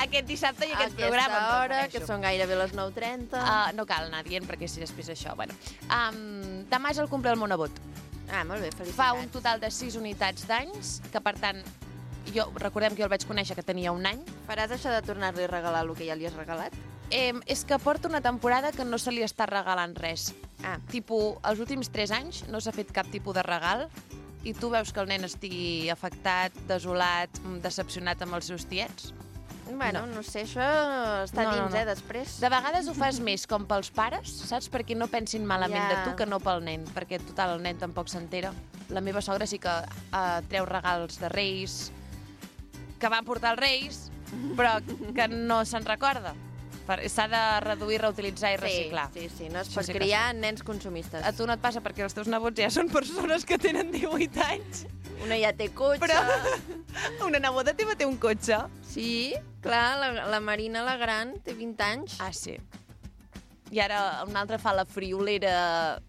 Aquest dissabte i aquest programa. A aquesta hora, que són gairebé les 9:30. No cal anar dient, perquè si després això... Bueno. Demà és el cumple del Monebot. Molt bé, felicitats. Fa un total de 6 unitats d'anys, que per tant, recordem que jo el vaig conèixer que tenia 1 any. Faràs això de tornar-li a regalar el que ja li has regalat? És que porta una temporada que no se li està regalant res. Els últims 3 anys no s'ha fet cap tipus de regal i tu veus que el nen estigui afectat, desolat, decepcionat amb els seus tiets? Bueno, no sé, això està dins, després. De vegades ho fas més com pels pares, saps? Perquè no pensin malament de tu que no pel nen, perquè total, el nen tampoc s'entera. La meva sogra sí que treu regals de Reis, que van portar els Reis, però que no se'n recorda. S'ha de reduir, reutilitzar i reciclar. Sí, no es pot criar nens consumistes. A tu no et passa perquè els teus nebots ja són persones que tenen 18 anys. Una ja té cotxe. Però una neboda teva té un cotxe. Sí, clar, la Marina, la gran, té 20 anys. Ah, sí. I ara una altra fa la friolera...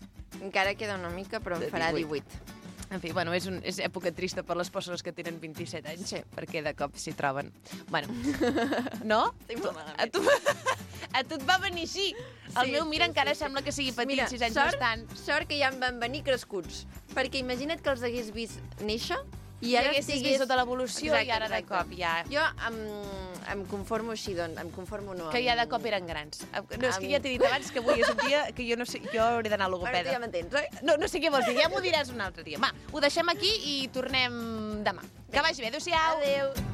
Encara queda una mica, però en farà 18. En fi, bueno, és època trista per les persones que tenen 27 anys, perquè de cop s'hi troben. Bueno, no? A tu et va venir així. El meu, mira, encara sembla que sigui petit, 6 anys no estan. Sort que ja em van venir crescuts, perquè imagina't que els hagués vist néixer i ara haguessis vist tota l'evolució i ara de cop ja... Jo, em conformo així, doncs. Em conformo no. Que ja de cop eren grans. No, és que ja t'he dit abans que avui és un dia que jo no sé, jo hauré d'anar a logopeda. Ara tu ja m'entens, oi? No sé què vols dir, ja m'ho diràs un altre dia. Va, ho deixem aquí i tornem demà. Que vagi bé, adéu-siau. Adéu.